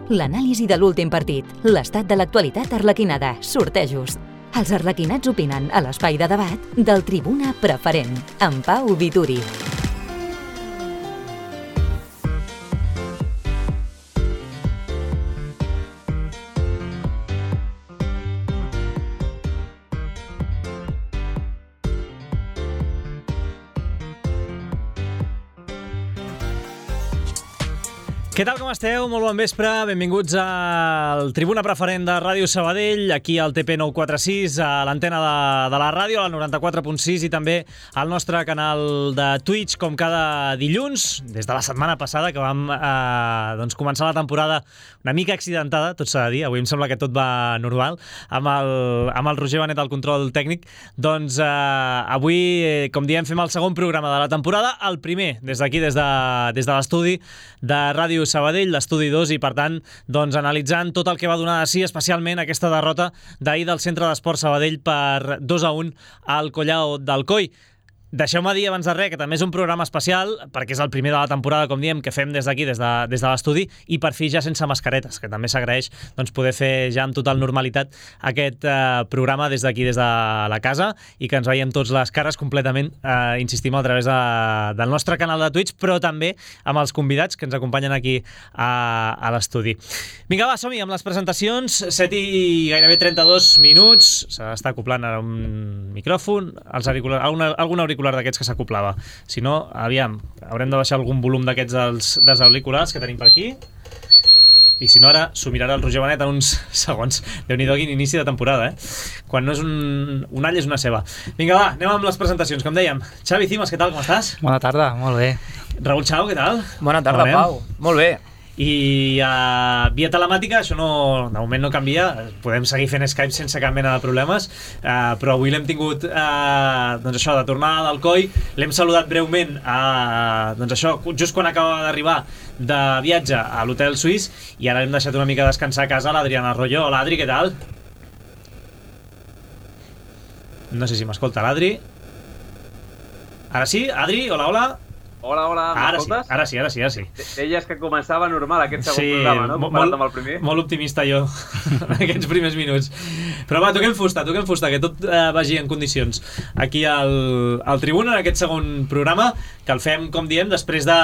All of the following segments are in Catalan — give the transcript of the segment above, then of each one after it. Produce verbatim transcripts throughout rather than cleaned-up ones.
l'anàlisi de l'últim partit, l'estat de l'actualitat arlequinada, sortejos. Els arlequinats opinen a l'espai de debat del Tribuna Preferent, amb Pau Vituri. Què tal, com esteu? Molt bon vespre, benvinguts al Tribuna Preferent de Ràdio Sabadell, aquí al T P nou cents quaranta sis, a l'antena de, de la ràdio, a la noranta-quatre punt sis, i també al nostre canal de Twitch, com cada dilluns, des de la setmana passada, que vam eh, doncs començar la temporada una mica accidentada, tot s'ha de dir, avui em sembla que tot va normal, amb el, amb el Roger Benet al control tècnic. Doncs eh, avui, eh, com diem, fem el segon programa de la temporada, el primer, des d'aquí, des de, des de l'estudi de Ràdio Sabadell, l'estudi dos, i per tant, doncs, analitzant tot el que va donar de si, especialment aquesta derrota d'ahir del Centre d'Esport Sabadell per dos a un al Collao d'Alcoi. Deixeu-me dir abans de res que també és un programa especial, perquè és el primer de la temporada, com diem, que fem des d'aquí, des de, des de l'estudi, i per fi ja sense mascaretes, que també s'agraeix doncs, poder fer ja amb total normalitat aquest eh, programa des d'aquí, des de la casa, i que ens veiem tots les cares completament, eh, insistim, a través de, del nostre canal de Twitch, però també amb els convidats que ens acompanyen aquí a, a l'estudi. Vinga, va, som-hi amb les presentacions, set i gairebé trenta-dos minuts, s'està acoplant ara un micròfon, els auriculars, alguna, alguna auricular d'aquests que s'acoplava. Si no, aviam, haurem de baixar algun volum d'aquests dels, dels auriculars que tenim per aquí. I si no, ara s'ho mirarà el Roger Benet en uns segons. Déu-n'hi-do, quin inici de temporada, eh? Quan no és un, un all, és una ceba. Vinga, va, anem amb les presentacions, com dèiem. Xavi Cimas, què tal, com estàs? Bona tarda, molt bé. Raül Chao, què tal? Bona tarda, Pau. Molt bé. I uh, via telemàtica, això no, de moment no canvia, podem seguir fent Skype sense cap mena de problemes, uh, però avui l'hem tingut uh, doncs això, de tornada d'Alcoi, l'hem saludat breument uh, doncs això, just quan acaba d'arribar de viatge a l'hotel suís, i ara hem deixat una mica descansar a casa l'Adriana Arroyo. Hola, Adri, què tal? No sé si m'escolta l'Adri. Ara sí, Adri, hola, hola. Hola, hola, m'escoltes? Sí, ara sí, ara sí, ara sí. Deies que començava normal aquest segon sí, programa, no? Comparat molt, amb el primer. Molt optimista jo, en aquests primers minuts. Però va, toquem fusta, toquem fusta, que tot eh, vagi en condicions. Aquí al, al Tribuna, en aquest segon programa, que el fem, com diem, després de,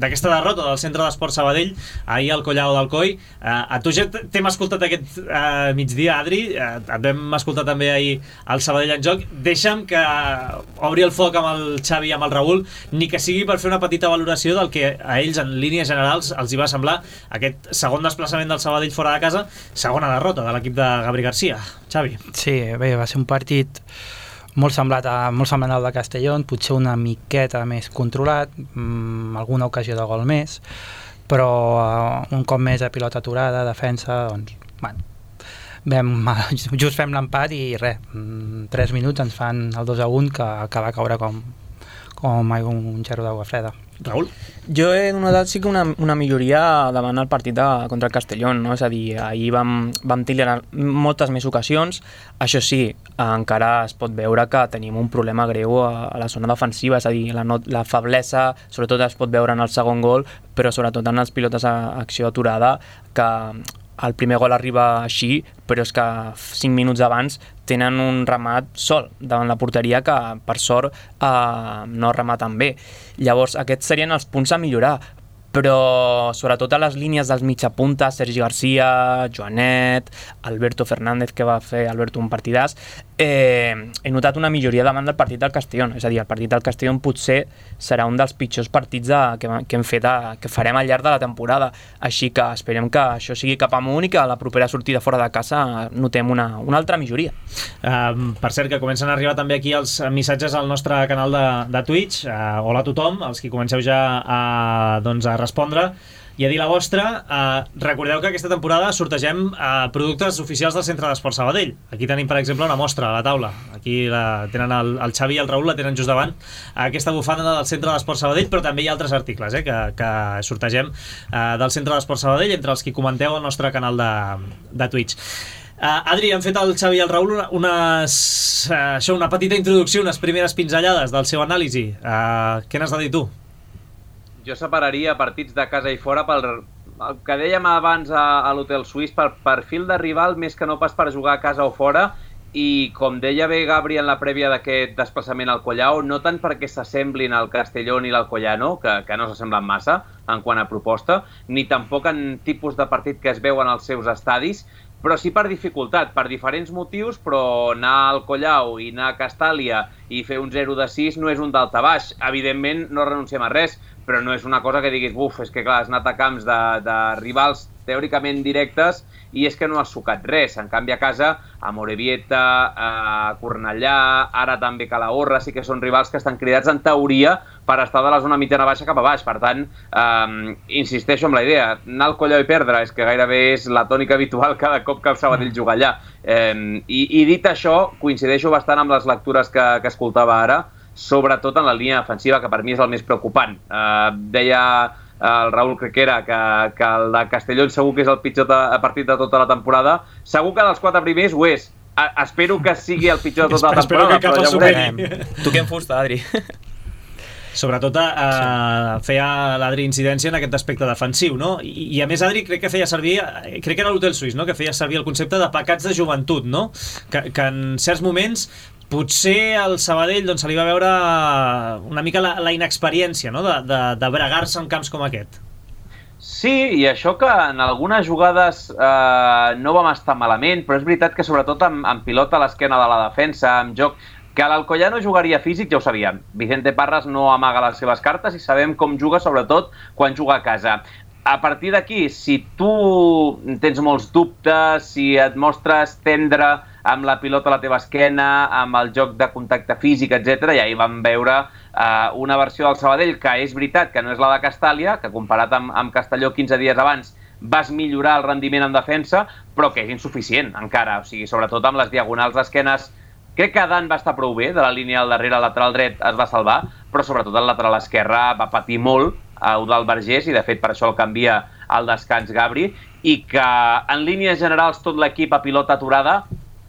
d'aquesta derrota del Centre d'Esport Sabadell, ahir al Collao d'Alcoi. Eh, a tu ja t'hem escoltat aquest eh, migdia, Adri, eh, et vam escoltar també ahir al Sabadell en joc. Deixa'm que obri el foc amb el Xavi i amb el Raül, ni que sigui per fer una petita valoració del que a ells en línies generals els hi va semblar aquest segon desplaçament del Sabadell fora de casa, segona derrota de l'equip de Gabri Garcia. Xavi. Sí, bé, va ser un partit molt semblat a, molt semblant al de Castellón, potser una miqueta més controlat, mmm, alguna ocasió de gol més, però uh, un cop més a pilota aturada, defensa, doncs, bueno, vam, just fem l'empat i res, tres minuts ens fan el dos a un que, que va caure com com un gerro d'aigua freda. Raül? Jo he notat sí que una, una milloria davant el partit de, contra el Castellón, no? És a dir, ahir vam, vam tirar moltes més ocasions, això sí, encara es pot veure que tenim un problema greu a, a la zona defensiva, és a dir, la, no, la feblesa sobretot es pot veure en el segon gol, però sobretot en els pilotes a acció aturada, que el primer gol arriba així, però és que cinc minuts abans tenen un remat sol davant la porteria que, per sort, eh, no rematen bé. Llavors, aquests serien els punts a millorar, però sobretot a les línies dels mitjapunta, Sergi Garcia, Joanet, Alberto Fernández, que va fer Alberto un partidàs, eh, he notat una milloria davant del partit del Castellón. És a dir, el partit del Castellón potser serà un dels pitjors partits de, que, que hem fet, a, que farem al llarg de la temporada. Així que esperem que això sigui cap amunt i que a la propera sortida fora de casa notem una, una altra milloria. Uh, per cert, que comencen a arribar també aquí els missatges al nostre canal de, de Twitch. Uh, hola a tothom, els que comenceu ja a, doncs, a respondre i a dir la vostra. Uh, recordeu que aquesta temporada sortegem uh, productes oficials del Centre d'Esport Sabadell. Aquí tenim, per exemple, una mostra a la taula. Aquí la, tenen el, el Xavi i el Raül, la tenen just davant, aquesta bufanda del Centre d'Esport Sabadell, però també hi ha altres articles eh, que, que sortegem uh, del Centre d'Esport Sabadell, entre els que comenteu al nostre canal de, de Twitch. Uh, Adri, han fet el Xavi i el Raül una, unes, uh, això, una petita introducció, unes primeres pinzellades del seu anàlisi. Uh, què n'has de dir tu? Jo separaria partits de casa i fora pel, el que dèiem abans a, a l'Hotel Suís, per perfil de rival més que no pas per jugar a casa o fora, i com deia bé Gabri en la prèvia d'aquest desplaçament al Collao, no tant perquè s'assemblin al Castellón i l'Alcoyano, que, que no s'assemblen massa en quant a proposta, ni tampoc en tipus de partit que es veuen als seus estadis, però sí per dificultat, per diferents motius, però anar al Collao i anar a Castàlia i fer un zero de sis no és un daltabaix. Evidentment no renunciem a res, però no és una cosa que diguis, buf, és que clar, has anat a camps de, de rivals teòricament directes i és que no has sucat res. En canvi a casa, a Morevieta, a Cornellà, ara també Calahorra, sí que són rivals que estan cridats en teoria per estar de la zona mitjana baixa cap a baix. Per tant, eh, insisteixo amb la idea, anar al Collao i perdre és que gairebé és la tònica habitual cada cop que el Sabadell juga allà. Eh, i, I dit això, coincideixo bastant amb les lectures que, que escoltava ara, sobretot en la línia defensiva, que per mi és el més preocupant. Eh, deia el Raúl Crequera que, que el de Castellón segur que és el pitjor de, partit de tota la temporada. Segur que dels quatre primers ho és. A, espero que sigui el pitjor de tota la temporada. Espero que cap el superi. Toquem fusta, Adri. Sobretot eh, feia l'Adri incidència en aquest aspecte defensiu, no? I, i a més Adri crec que feia servir, crec que era l'Hotel Suís, no? Que feia servir el concepte de pecats de joventut, no? Que, que en certs moments potser al Sabadell doncs, se li va veure una mica la, la inexperiència, no? de, de, de bregar-se en camps com aquest. Sí, i això que en algunes jugades eh, no vam estar malament, però és veritat que sobretot amb, amb pilota a l'esquena de la defensa, amb joc, que l'Alcoyano jugaria físic ja ho sabíem. Vicente Parras no amaga les seves cartes i sabem com juga sobretot quan juga a casa. A partir d'aquí, si tu tens molts dubtes, si et mostres tendre amb la pilota a la teva esquena, amb el joc de contacte físic, etcètera, i ahir vam veure eh, una versió del Sabadell que és veritat que no és la de Castàlia, que comparat amb, amb Castelló quinze dies abans vas millorar el rendiment en defensa, però que és insuficient encara, o sigui, sobretot amb les diagonals d'esquenes. Crec que Dan va estar prou bé, de la línia al darrere, el lateral dret es va salvar, però sobretot el lateral esquerre va patir molt, a Eudald Vergés, i de fet per això el canvia al descans Gabri, i que en línies generals tot l'equip a pilota aturada,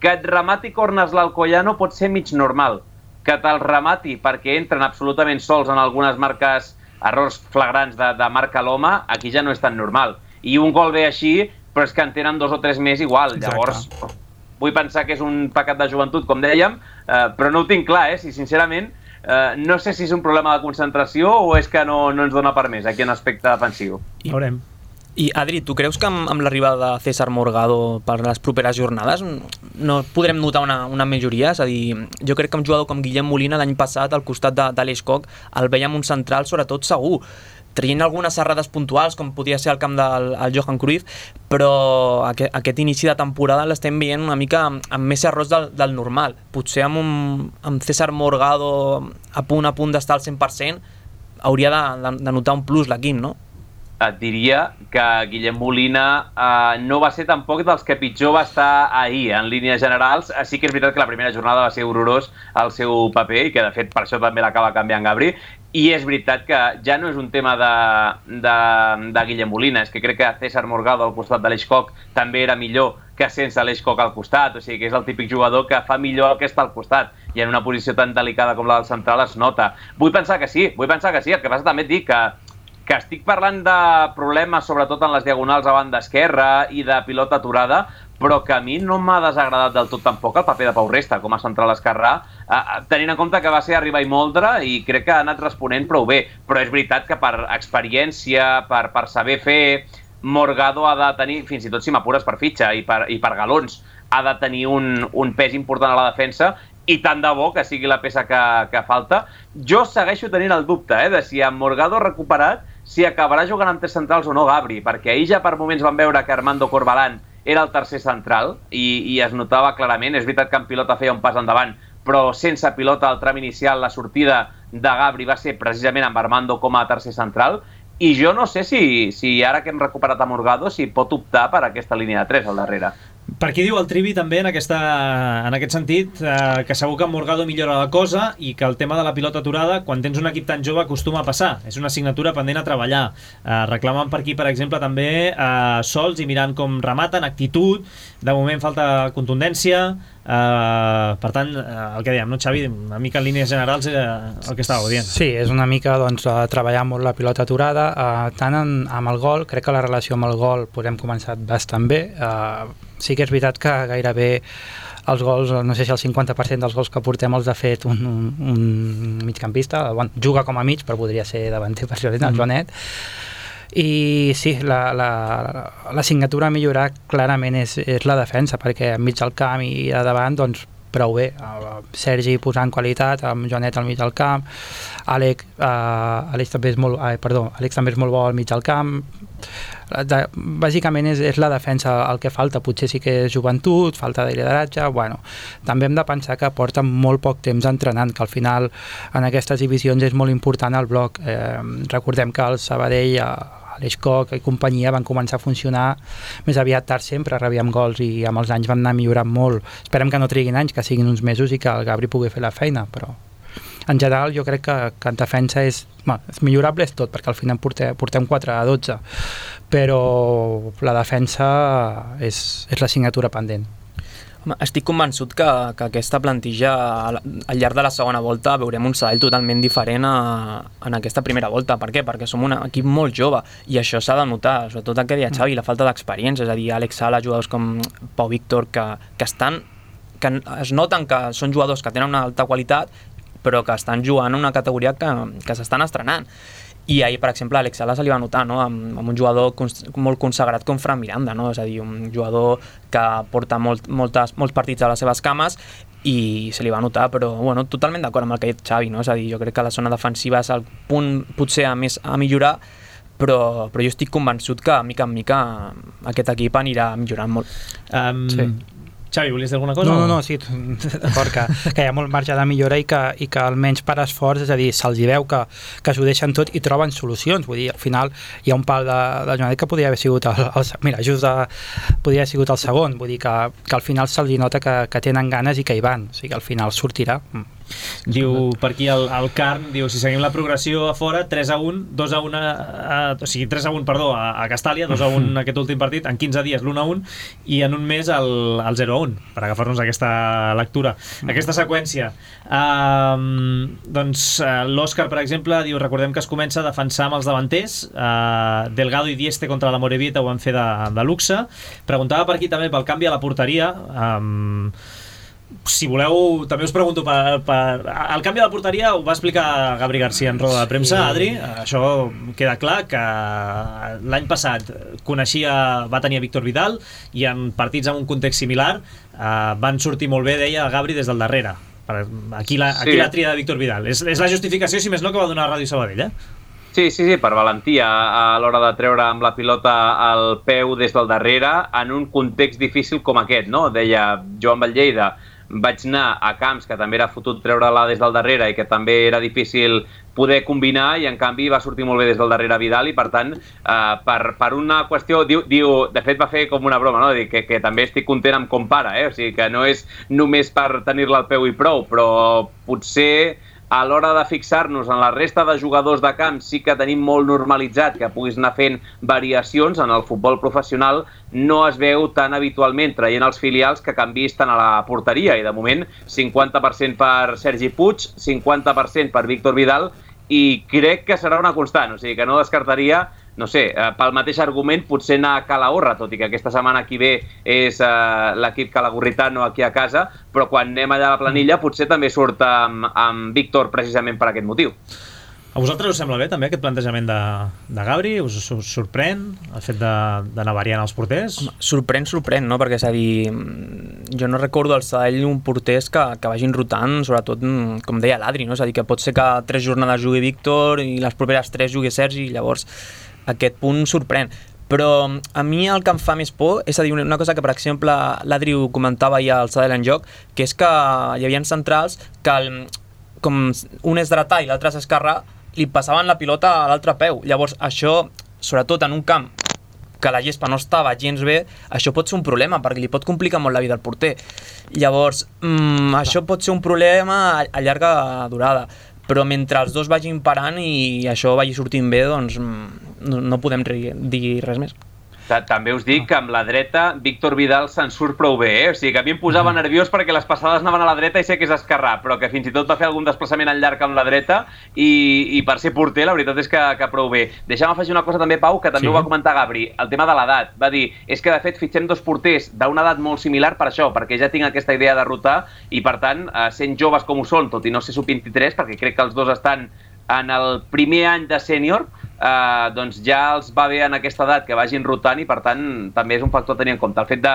que et remati corners l'Alcoyano pot ser mig normal, que te'l remati perquè entren absolutament sols en algunes marques, errors flagrants de, de marca l'home, aquí ja no és tan normal. I un gol ve així, però és que en tenen dos o tres més igual. Exacte. Llavors, vull pensar que és un pecat de joventut, com dèiem, eh, però no ho tinc clar, eh? Si sincerament Uh, no sé si és un problema de concentració o és que no, no ens dona per més aquí en aspecte defensiu. I veurem. I Adri, tu creus que amb, amb l'arribada de César Morgado per les properes jornades no podrem notar una, una majoria? És a dir, jo crec que un jugador com Guillem Molina l'any passat al costat de, de l'Eix Coc el veiem un central sobretot segur, traient algunes errades puntuals com podia ser el camp del el Johan Cruyff, però aquest, aquest inici de temporada l'estem veient una mica amb, amb més errors del, del normal. Potser amb, un, amb César Morgado a punt a punt d'estar al cent per cent hauria de, de, de notar un plus l'equip, no? Et diria que Guillem Molina eh, no va ser tampoc dels que pitjor va estar ahir en línies generals. Sí que és veritat que la primera jornada va ser horrorós el seu paper i que de fet per això també l'acaba canviant Gabri. I és veritat que ja no és un tema de, de, de Guillem Molina, és que crec que César Morgado al costat de l'Eix Coc també era millor que sense l'Eix Coc al costat, o sigui que és el típic jugador que fa millor el que està al costat, i en una posició tan delicada com la del central es nota. Vull pensar que sí, vull pensar que sí, el que passa també et dic que que estic parlant de problemes sobretot en les diagonals a banda esquerra i de pilota aturada, però que a mi no m'ha desagradat del tot tampoc el paper de Pau Resta com a central esquerrà, eh, tenint en compte que va ser arribar i moldre i crec que ha anat responent prou bé, però és veritat que per experiència, per, per saber fer, Morgado ha de tenir, fins i tot si m'apures per fitxa i per, i per galons, ha de tenir un, un pes important a la defensa, i tant de bo que sigui la peça que, que falta. Jo segueixo tenint el dubte eh, de si amb Morgado recuperat si acabarà jugant amb tres centrals o no Gabri, perquè ahir ja per moments van veure que Armando Corbalán era el tercer central i, i es notava clarament. És veritat que en pilota feia un pas endavant, però sense pilota al tram inicial la sortida de Gabri va ser precisament amb Armando com a tercer central, i jo no sé si, si ara que hem recuperat a Morgado si pot optar per aquesta línia de tres al darrere. Per aquí diu el Trivi també en, aquesta, en aquest sentit eh, que segur que amb Morgado millora la cosa i que el tema de la pilota aturada quan tens un equip tan jove acostuma a passar, és una assignatura pendent a treballar. Eh, reclamen per aquí per exemple també eh, sols i mirant com rematen, actitud, de moment falta contundència, eh, per tant eh, el que dèiem, no Xavi, una mica en línies generals eh, el que estàveu dient. Sí, és una mica doncs, treballar molt la pilota aturada, eh, tant en, amb el gol, crec que la relació amb el gol podem començar bastant bé. eh, Sí que és veritat que gairebé els gols, no sé si el cinquanta per cent dels gols que portem els ha fet un, un, un migcampista, bueno, juga com a mig, però podria ser davanter per això, el mm. Joanet. I sí, la, la, la signatura a millorar clarament és, és la defensa, perquè enmig del camp i a davant, doncs, prou bé. Sergi posant qualitat, amb Joanet al mig del camp, Àlex, uh, Àlex també és molt, uh, perdó, Àlex també és molt bo al mig del camp. De, bàsicament és, és la defensa el que falta, potser sí que és joventut, falta de lideratge, bueno, també hem de pensar que porten molt poc temps entrenant, que al final en aquestes divisions és molt important el bloc. Eh, recordem que el Sabadell, l'Eix Coc i companyia van començar a funcionar més aviat tard, sempre rebíem gols i amb els anys van anar millorant molt. Esperem que no triguin anys, que siguin uns mesos i que el Gabri pugui fer la feina, però en general jo crec que, que en defensa és, bueno, és millorable és tot, perquè al final portem, portem quatre a dotze, però la defensa és, és l'assignatura pendent. Home, estic convençut que, que aquesta plantilla al, al llarg de la segona volta veurem un Sabadell totalment diferent a, en aquesta primera volta. Per què? Perquè som un equip molt jove i això s'ha de notar, sobretot el que deia Xavi, la falta d'experiència, és a dir, Àlex Sala, jugadors com Pau Víctor que, que estan que es noten que són jugadors que tenen una alta qualitat però que estan jugant en una categoria que, que s'estan estrenant. I ahir, per exemple, a Àlex Sala se li va notar, no? amb, amb un jugador cons molt consagrat com Fran Miranda, no? És a dir, un jugador que porta molt, moltes, molts partits a les seves cames i se li va notar, però bueno, totalment d'acord amb el que ha dit Xavi, no? És a dir, jo crec que la zona defensiva és el punt potser a més a millorar, però, però jo estic convençut que mica en mica aquest equip anirà millorant molt. Um... Sí. Xavi, volies dir alguna cosa? No, no, no, sí, d'acord, que, que hi ha molt marge de millora i que, i que almenys per esforç, és a dir, se'ls hi veu que, que s'ho deixen tot i troben solucions, vull dir, al final hi ha un pal de, de Joanet que podria haver sigut el, el, mira, just de, podria haver sigut el segon, vull dir que, que al final se'ls hi nota que, que tenen ganes i que hi van, o sigui que al final sortirà. Diu per aquí el, el Carn, diu si seguim la progressió a fora, tres a un, dos a un a, a, o sigui, tres a un, perdó, a, a Castàlia, dos a un aquest últim partit, en quinze dies l'un a un i en un mes el, el zero a un, per agafar-nos aquesta lectura, aquesta seqüència. Um, doncs uh, l'Òscar, per exemple, diu, recordem que es comença a defensar amb els davanters, uh, Delgado i Dieste contra la Morevieta ho van fer de, de luxe. Preguntava per aquí també pel canvi a la porteria. um, si voleu, també us pregunto per, per, el canvi de la porteria ho va explicar Gabri García en roda de premsa, sí. Adri, això queda clar que l'any passat coneixia, va tenir a Víctor Vidal i en partits en un context similar eh, van sortir molt bé, deia Gabri, des del darrere. Aquí la, aquí sí. La tria de Víctor Vidal és, és la justificació, si més no, que va donar a Ràdio Sabadell, eh? Sí, sí, sí, per valentia a l'hora de treure amb la pilota el peu des del darrere en un context difícil com aquest, no? Deia Joan Vallleida, vaig anar a camps que també era fotut treure-la des del darrere i que també era difícil poder combinar i en canvi va sortir molt bé des del darrere Vidal i per tant eh, per, per una qüestió, diu, diu, de fet va fer com una broma, no? Dir que, que també estic content amb com para, eh? O sigui que no és només per tenir-la al peu i prou, però potser a l'hora de fixar-nos en la resta de jugadors de camp sí que tenim molt normalitzat que puguis anar fent variacions en el futbol professional, no es veu tan habitualment traient els filials que canviïs tant a la porteria i de moment cinquanta per cent per Sergi Puig, cinquanta per cent per Víctor Vidal i crec que serà una constant, o sigui que no descartaria, no sé, eh, pel mateix argument potser anar a Calahorra, tot i que aquesta setmana qui ve és eh, l'equip calagurritano aquí a casa, però quan anem allà a la planilla potser també surt amb, amb Víctor precisament per aquest motiu. A vosaltres us sembla bé també aquest plantejament de, de Gabri? Us, us sorprèn el fet d'anar variant els porters? Home, sorprèn, sorprèn, no? Perquè és a dir, jo no recordo al Sabadell un porters que, que vagin rotant, sobretot, com deia l'Adri, no? És a dir, que pot ser que tres jornades jugui Víctor i les properes tres jugui Sergi, i llavors aquest punt sorprèn. Però a mi el que em fa més por és a dir, una cosa que, per exemple, l'Adri ho comentava ja al Sabadell en joc, que és que hi havia centrals que, el, com un és dretà i l'altre és esquerrà, li passaven la pilota a l'altre peu. Llavors, això, sobretot en un camp que la gespa no estava gens bé, això pot ser un problema, perquè li pot complicar molt la vida al porter. Llavors, mmm, això pot ser un problema a, a llarga durada, però mentre els dos vagin parant i això vagi sortint bé, doncs no, no podem dir res més. També us dic que amb la dreta Víctor Vidal se'n surt prou bé, eh? O sigui que a mi em posava mm. nerviós perquè les passades anaven a la dreta i sé que és esquerrà, però que fins i tot va fer algun desplaçament en llarg amb la dreta i, i per ser porter la veritat és que, que prou bé. Deixa'm afegir una cosa també, Pau, que també sí. ho va comentar Gabri, el tema de l'edat. Va dir, és que de fet fitxem dos porters d'una edat molt similar per això, perquè ja tinc aquesta idea de rotar i per tant, sent joves com ho són, tot i no ser sub vint-i-tres, perquè crec que els dos estan en el primer any de sènior, eh, doncs ja els va bé en aquesta edat que vagin rotant i per tant també és un factor a tenir en compte. El fet de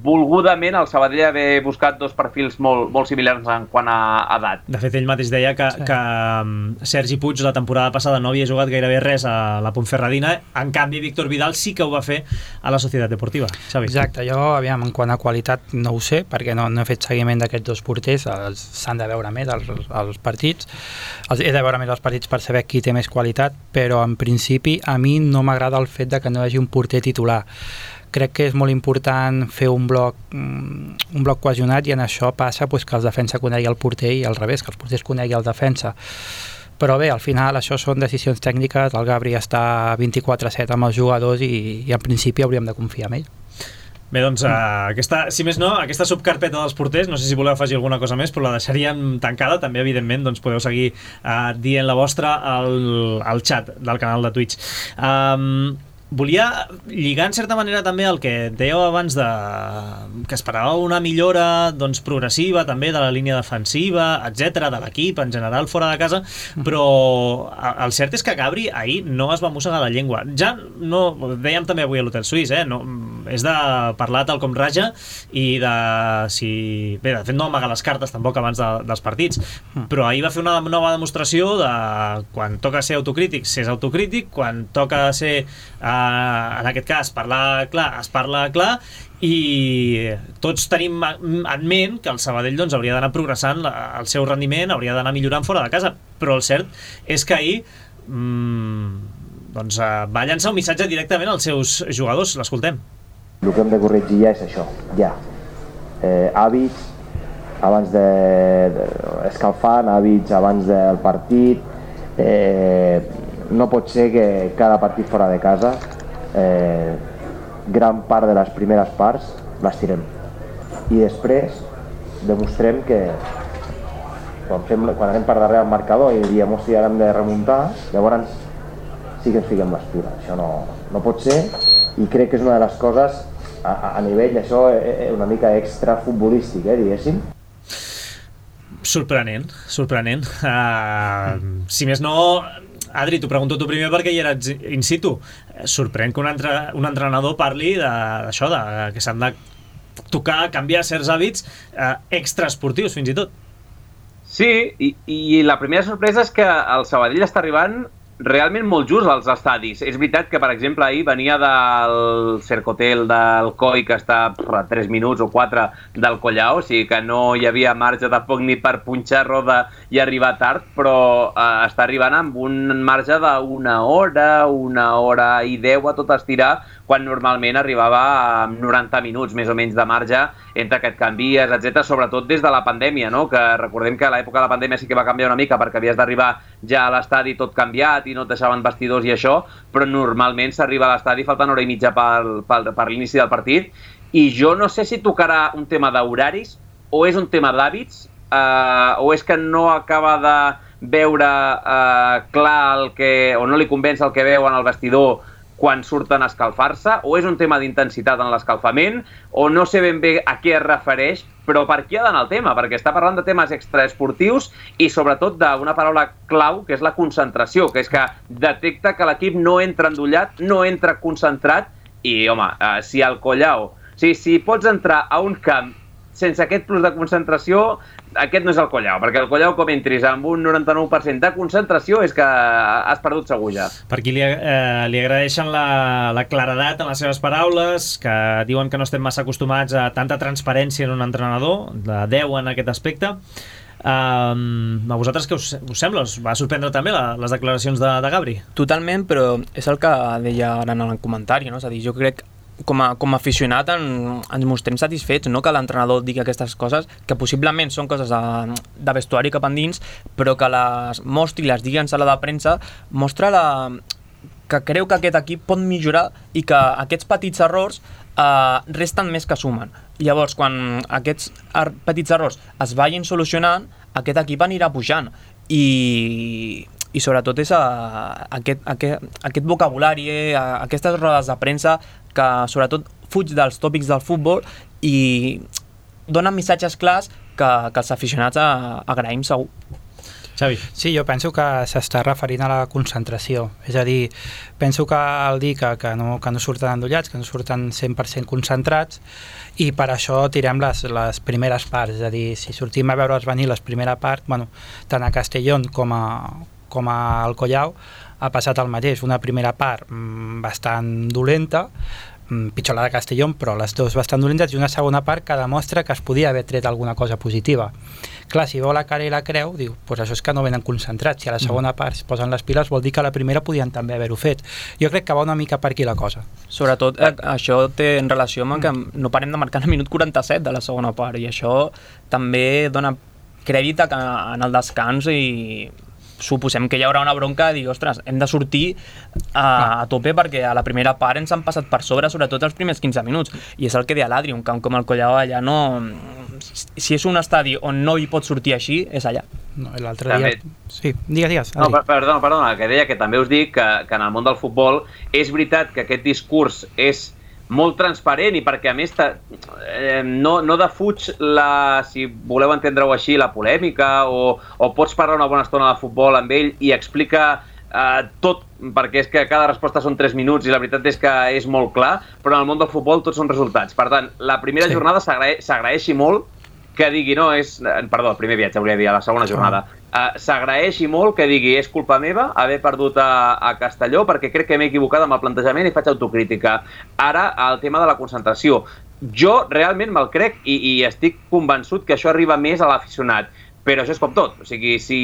volgudament el Sabadell haver buscat dos perfils molt, molt similars en quant a edat. De fet, ell mateix deia que, sí. que Sergi Puig la temporada passada no havia jugat gairebé res a la Ponferradina, en canvi Víctor Vidal sí que ho va fer a la Societat Deportiva. Xavi. Exacte, jo aviam, en quant a qualitat no ho sé, perquè no, no he fet seguiment d'aquests dos porters, s'han de veure més els, els partits, els, he de veure més els partits per saber qui té més qualitat, però en principi a mi no m'agrada el fet de que no hi hagi un porter titular. Crec que és molt important fer un bloc un bloc cohesionat i en això passa pues, que el defensa conegui el porter i al revés, que els porters conegui el defensa. Però bé, al final això són decisions tècniques, el Gabri està vint-i-quatre set amb els jugadors i, i en principi hauríem de confiar en ell. Bé, doncs, uh, aquesta, si més no, aquesta subcarpeta dels porters, no sé si voleu afegir alguna cosa més, però la deixaríem tancada. També, evidentment, doncs, podeu seguir uh, dient la vostra al, al xat del canal de Twitch. Um, Volia lligar en certa manera també el que dèieu abans de que esperàveu una millora doncs, progressiva també de la línia defensiva, etcètera, de l'equip en general fora de casa, però el cert és que Gabri ahir no es va mossegar la llengua. Ja no, dèiem també avui a l'Hotel Suís, eh? No, és de parlar tal com raja i de si... Bé, de fet no amagar les cartes tampoc abans de, dels partits, però ahir va fer una nova demostració de quan toca ser autocrític, s'és autocrític, quan toca ser... Eh, en aquest cas, parlar clar, es parla clar i tots tenim en ment que el Sabadell doncs, hauria d'anar progressant el seu rendiment, hauria d'anar millorant fora de casa, però el cert és que ahir mmm, doncs, va llançar un missatge directament als seus jugadors, l'escoltem. El que hem de corregir ja és això, ja. Eh, hàbits abans de, de escalfant, hàbits abans del partit, eh, no pot ser que cada partit fora de casa Eh, gran part de les primeres parts les tirem i després demostrem que quan, fem, quan anem per darrere al marcador i diem hòstia ara hem de remuntar, llavors sí que ens fiquem l'estura. Això no, no pot ser i crec que és una de les coses a, a nivell això una mica extra futbolístic, eh, diguéssim. Sorprenent, sorprenent. Uh, si més no... Adri, t'ho pregunto tu primer perquè hi eres in situ. Sorprèn que un, entre, un entrenador parli d'això, de, de, que s'han de tocar, canviar certs hàbits eh, extraesportius, fins i tot. Sí, i, i la primera sorpresa és que el Sabadell està arribant realment molt just als estadis. És veritat que, per exemple, ahir venia del Cercotel del Coi, que està a tres minuts o quatre del Collao, o sigui que no hi havia marge tampoc ni per punxar roda i arribar tard, però eh, està arribant amb un marge d'una hora, una hora i deu a tot estirar, quan normalment arribava a noranta minuts més o menys de marge entre que et canvies, etcètera, sobretot des de la pandèmia, no? Que recordem que a l'època de la pandèmia sí que va canviar una mica perquè havies d'arribar ja a l'estadi tot canviat i no et deixaven vestidors i això, però normalment s'arriba a l'estadi faltant hora i mitja per, per, per l'inici del partit i jo no sé si tocarà un tema d'horaris o és un tema d'hàbits eh, o és que no acaba de veure eh, clar el que, o no li convenç el que veu en el vestidor quan surten a escalfar-se, o és un tema d'intensitat en l'escalfament, o no sé ben bé a què es refereix, però per què ha d'anar el tema? Perquè està parlant de temes extraesportius i sobretot d'una paraula clau, que és la concentració, que és que detecta que l'equip no entra endollat, no entra concentrat, i home, eh, si al Collao, si, si pots entrar a un camp sense aquest plus de concentració, aquest no és el Collao, perquè el Collao com entris amb un noranta-nou per cent de concentració és que has perdut segur ja. Per aquí li, eh, li agraeixen la, la claredat en les seves paraules, que diuen que no estem massa acostumats a tanta transparència en un entrenador, de deu en aquest aspecte. Um, a vosaltres què us, us sembla? Us va sorprendre també la, les declaracions de, de Gabri? Totalment, però és el que deia ara en el comentari, no? És a dir, jo crec com a, com a aficionat en, ens mostrem satisfets, no? Que l'entrenador digui aquestes coses, que possiblement són coses de, de vestuari cap endins, però que les mostri i les digui en sala de premsa, mostra la, que creu que aquest equip pot millorar i que aquests petits errors eh, resten més que sumen. Llavors, quan aquests er, petits errors es vagin solucionant, aquest equip anirà pujant i, i sobretot és a, a aquest, a aquest, aquest vocabulari, a, a aquestes rodes de premsa que sobretot fuig dels tòpics del futbol i donen missatges clars que, que els aficionats a, agraïm segur. Xavi. Sí, jo penso que s'està referint a la concentració, és a dir, penso que al dir que, que, no, que no surten endollats, que no surten cent per cent concentrats, i per això tirem les, les primeres parts, és a dir, si sortim a veure'ls venir les primera part, bueno, tant a Castellón com a, com a Alcoyau ha passat el mateix, una primera part mmm, bastant dolenta, pitjor la de Castellón, però les dues bastant dolentes, i una segona part que demostra que es podia haver tret alguna cosa positiva. Clar, si veu la cara i la creu, diu, pues això és que no venen concentrats, si a la segona part es posen les piles vol dir que a la primera podien també haver-ho fet. Jo crec que va una mica per aquí la cosa. Sobretot eh, això té en relació amb que no parem de marcar el minut quaranta-set de la segona part, i això també dona crèdit a que en el descans i suposem que hi haurà una bronca de dir, ostres, hem de sortir a, a tope perquè a la primera part ens han passat per sobre, sobretot els primers quinze minuts, i és el que deia l'Adri, un camp com el Collao allà no... Si és un estadi on no hi pot sortir així, és allà. No, l'altre dia... Sí, digues, digues. No, perdona, perdona, que deia que també us dic que, que en el món del futbol és veritat que aquest discurs és molt transparent i perquè a més eh, no, no defuig la, si voleu entendre-ho així, la polèmica o, o pots parlar una bona estona de futbol amb ell i explica eh, tot, perquè és que cada resposta són tres minuts i la veritat és que és molt clar, però en el món del futbol tots són resultats. Per tant, la primera sí. jornada s'agraeixi molt que digui, no, és... Perdó, el primer viatge, hauria de dir, a la segona jornada. Uh, s'agraeixi molt que digui, és culpa meva haver perdut a, a Castelló perquè crec que m'he equivocat amb el plantejament i faig autocrítica. Ara, el tema de la concentració. Jo realment me'l crec i, i estic convençut que això arriba més a l'aficionat. Però això és com tot. O sigui, si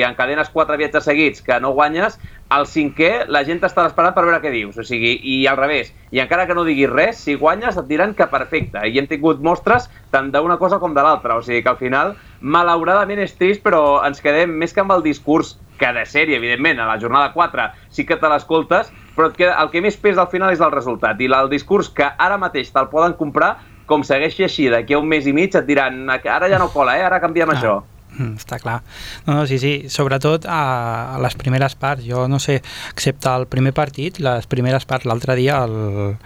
encadenes quatre viatges seguits que no guanyes, al cinquè la gent t'està esperant per veure què dius. O sigui, i al revés. I encara que no diguis res, si guanyes et diran que perfecte. I hem tingut mostres tant d'una cosa com de l'altra. O sigui que al final, malauradament és trist, però ens quedem més que amb el discurs que de sèrie, evidentment, a la jornada quatre sí que te l'escoltes, però el que més pesa al final és el resultat. I el discurs que ara mateix te'l poden comprar, com segueixi així, d'aquí a un mes i mig et diran ara ja no cola, eh? Ara canviem ah. això. Està clar. No, no, sí, sí. Sobretot a, a les primeres parts. Jo no sé, excepte el primer partit, les primeres parts, l'altre dia, el,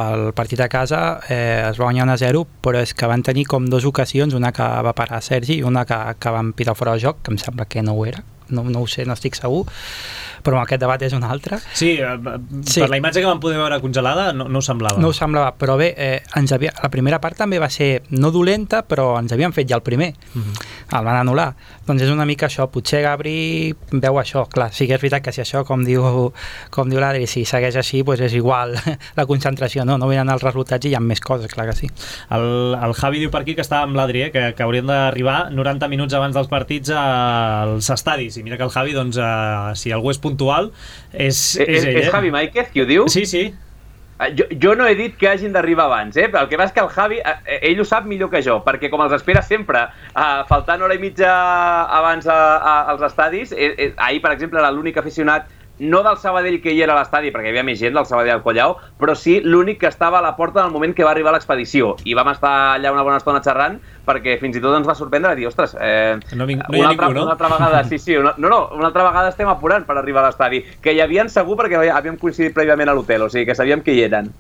el partit a casa eh, es va guanyar un a zero, però és que van tenir com dues ocasions, una que va parar Sergi i una que, que van pitar fora de joc, que em sembla que no ho era. No, no ho sé, no estic segur, però aquest debat és un altre. Sí, per sí. la imatge que vam poder veure congelada no, no ho semblava. No ho semblava, però bé, eh, ens havia, la primera part també va ser no dolenta, però ens havien fet ja el primer. Uh-huh. El van anul·lar. Doncs és una mica això, potser Gabri veu això, clar, sí que és veritat que si això, com diu, com diu l'Adri, si segueix així, doncs és igual la concentració, no, no venen els resultats i hi ha més coses, clar que sí. El, el Javi diu per aquí que està amb l'Adri, eh, que, que haurien d'arribar noranta minuts abans dels partits als estadis, i mira que el Javi, doncs, eh, si algú és puntual, és, és, és ell. És Javi Máiquez qui ho diu? Sí, sí. Jo, jo no he dit que hagin d'arribar abans, eh? El que va és que el Javi, ell ho sap millor que jo, perquè com els espera sempre, eh, faltant hora i mitja abans a, a, als estadis, eh, eh, ahir, per exemple, era l'únic aficionat, no del Sabadell que hi era a l'estadi, perquè hi havia més gent del Sabadell al Collao, però sí l'únic que estava a la porta en el moment que va arribar l'expedició. I vam estar allà una bona estona xerrant, perquè fins i tot ens va sorprendre de dir, ostres, eh, no, vinc, no hi ha una, altra, ningú, no? una altra vegada, sí, sí, una, no, no, una altra vegada estem apurant per arribar a l'estadi, que hi havien segur perquè havíem coincidit prèviament a l'hotel, o sigui que sabíem que hi eren.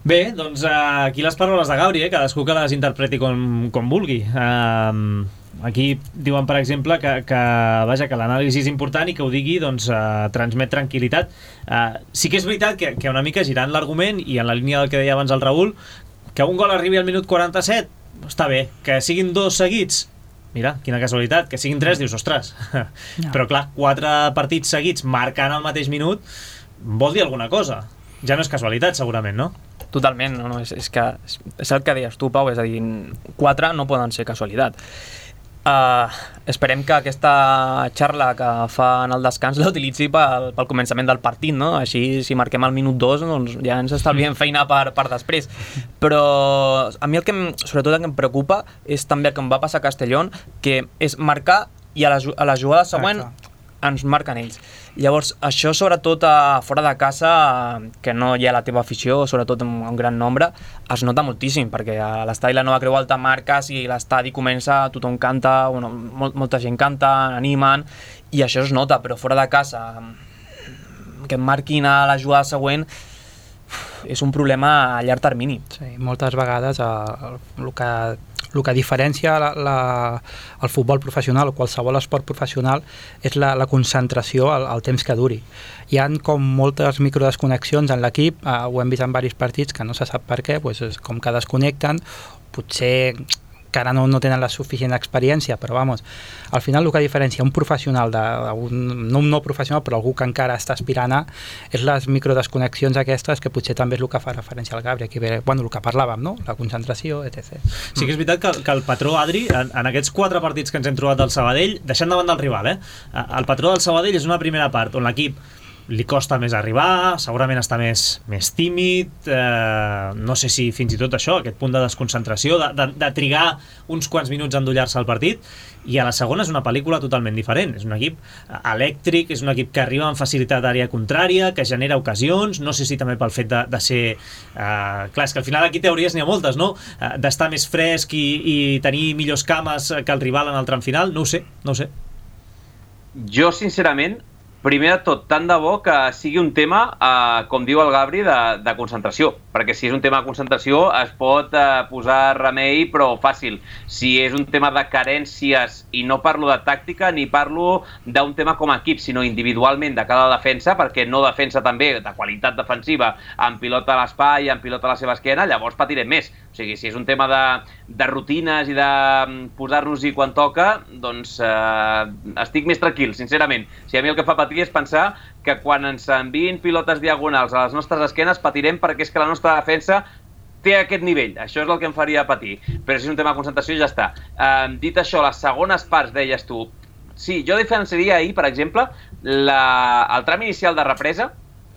Bé, doncs uh, aquí les paraules de Gabri, eh? Cadascú que les interpreti com, com vulgui. Uh, aquí diuen, per exemple, que, que, vaja, que l'anàlisi és important i que ho digui, doncs, uh, transmet tranquil·litat. Uh, sí que és veritat que, que una mica girant l'argument, i en la línia del que deia abans el Raül, que un gol arribi al minut quaranta-set, està bé. Que siguin dos seguits, mira, quina casualitat. Que siguin tres, dius, ostres. No. Però clar, quatre partits seguits marcant al mateix minut vol dir alguna cosa. Ja no és casualitat, segurament, no? Totalment, no, no, és, és que és el que deies tu, Pau, és a dir, quatre no poden ser casualitat. Uh, esperem que aquesta xarra que fa en el descans l'utilitzi pel, pel començament del partit, no? Així, si marquem al minut dos, doncs ja ens estalviem feina per, per després. Però a mi el que em, sobretot el que em preocupa és també el que em va passar a Castellón, que és marcar i a la, a la jugada següent ens marquen ells. Llavors, això sobretot a fora de casa, que no hi ha la teva afició, sobretot en un gran nombre, es nota moltíssim, perquè a l'estadi La Nova Creu Alta marques i l'estadi comença, tothom canta, bueno, molt, molta gent canta, animen, i això es nota, però fora de casa, que et marquin a la jugada següent, és un problema a llarg termini. Sí, moltes vegades el, el que el que diferencia la, la, el futbol professional o qualsevol esport professional és la, la concentració al, al temps que duri. Hi ha com moltes microdesconnexions en l'equip, eh, ho hem vist en diversos partits que no se sap per què, doncs és com que desconnecten, potser que ara no, no tenen la suficient experiència, però vamos, al final el que diferencia un professional de, de un, no un no professional, però algú que encara està aspirant a, és les microdesconnexions aquestes, que potser també és el que fa referència al Gabri, aquí ve, bueno, el que parlàvem, no? La concentració, etcètera. Sí que és veritat que, que el patró Adri, en, en aquests quatre partits que ens hem trobat del Sabadell, deixant davant del rival, eh? El patró del Sabadell és una primera part on l'equip li costa més arribar, segurament està més, més tímid, eh, no sé si fins i tot això, aquest punt de desconcentració, de, de, de trigar uns quants minuts a endollar-se al partit, i a la segona és una pel·lícula totalment diferent, és un equip elèctric, és un equip que arriba amb facilitat d'àrea contrària, que genera ocasions, no sé si també pel fet de, de ser... Eh, clar, és que al final aquí teories n'hi ha moltes, no? Eh, d'estar més fresc i, i tenir millors cames que el rival en el tram final, no ho sé, no ho sé. Jo, sincerament, primer de tot, tant de bo que sigui un tema, eh, com diu el Gabri, de, de concentració, perquè si és un tema de concentració es pot eh, posar remei, però fàcil. Si és un tema de carències, i no parlo de tàctica ni parlo d'un tema com a equip, sinó individualment de cada defensa, perquè no defensa també de qualitat defensiva amb pilota a l'espai, amb pilota a la seva esquena, llavors patirem més. O sigui, si és un tema de, de rutines i de posar-nos-hi quan toca, doncs eh, estic més tranquil, sincerament. Si a mi el que fa patir és pensar que quan ens enviïn pilotes diagonals a les nostres esquenes patirem perquè és que la nostra defensa té aquest nivell. Això és el que em faria patir. Però si és un tema de concentració, ja està. Eh, dit això, les segones parts, deies tu, sí, jo diferenciaria ahir, per exemple, la, el tram inicial de represa,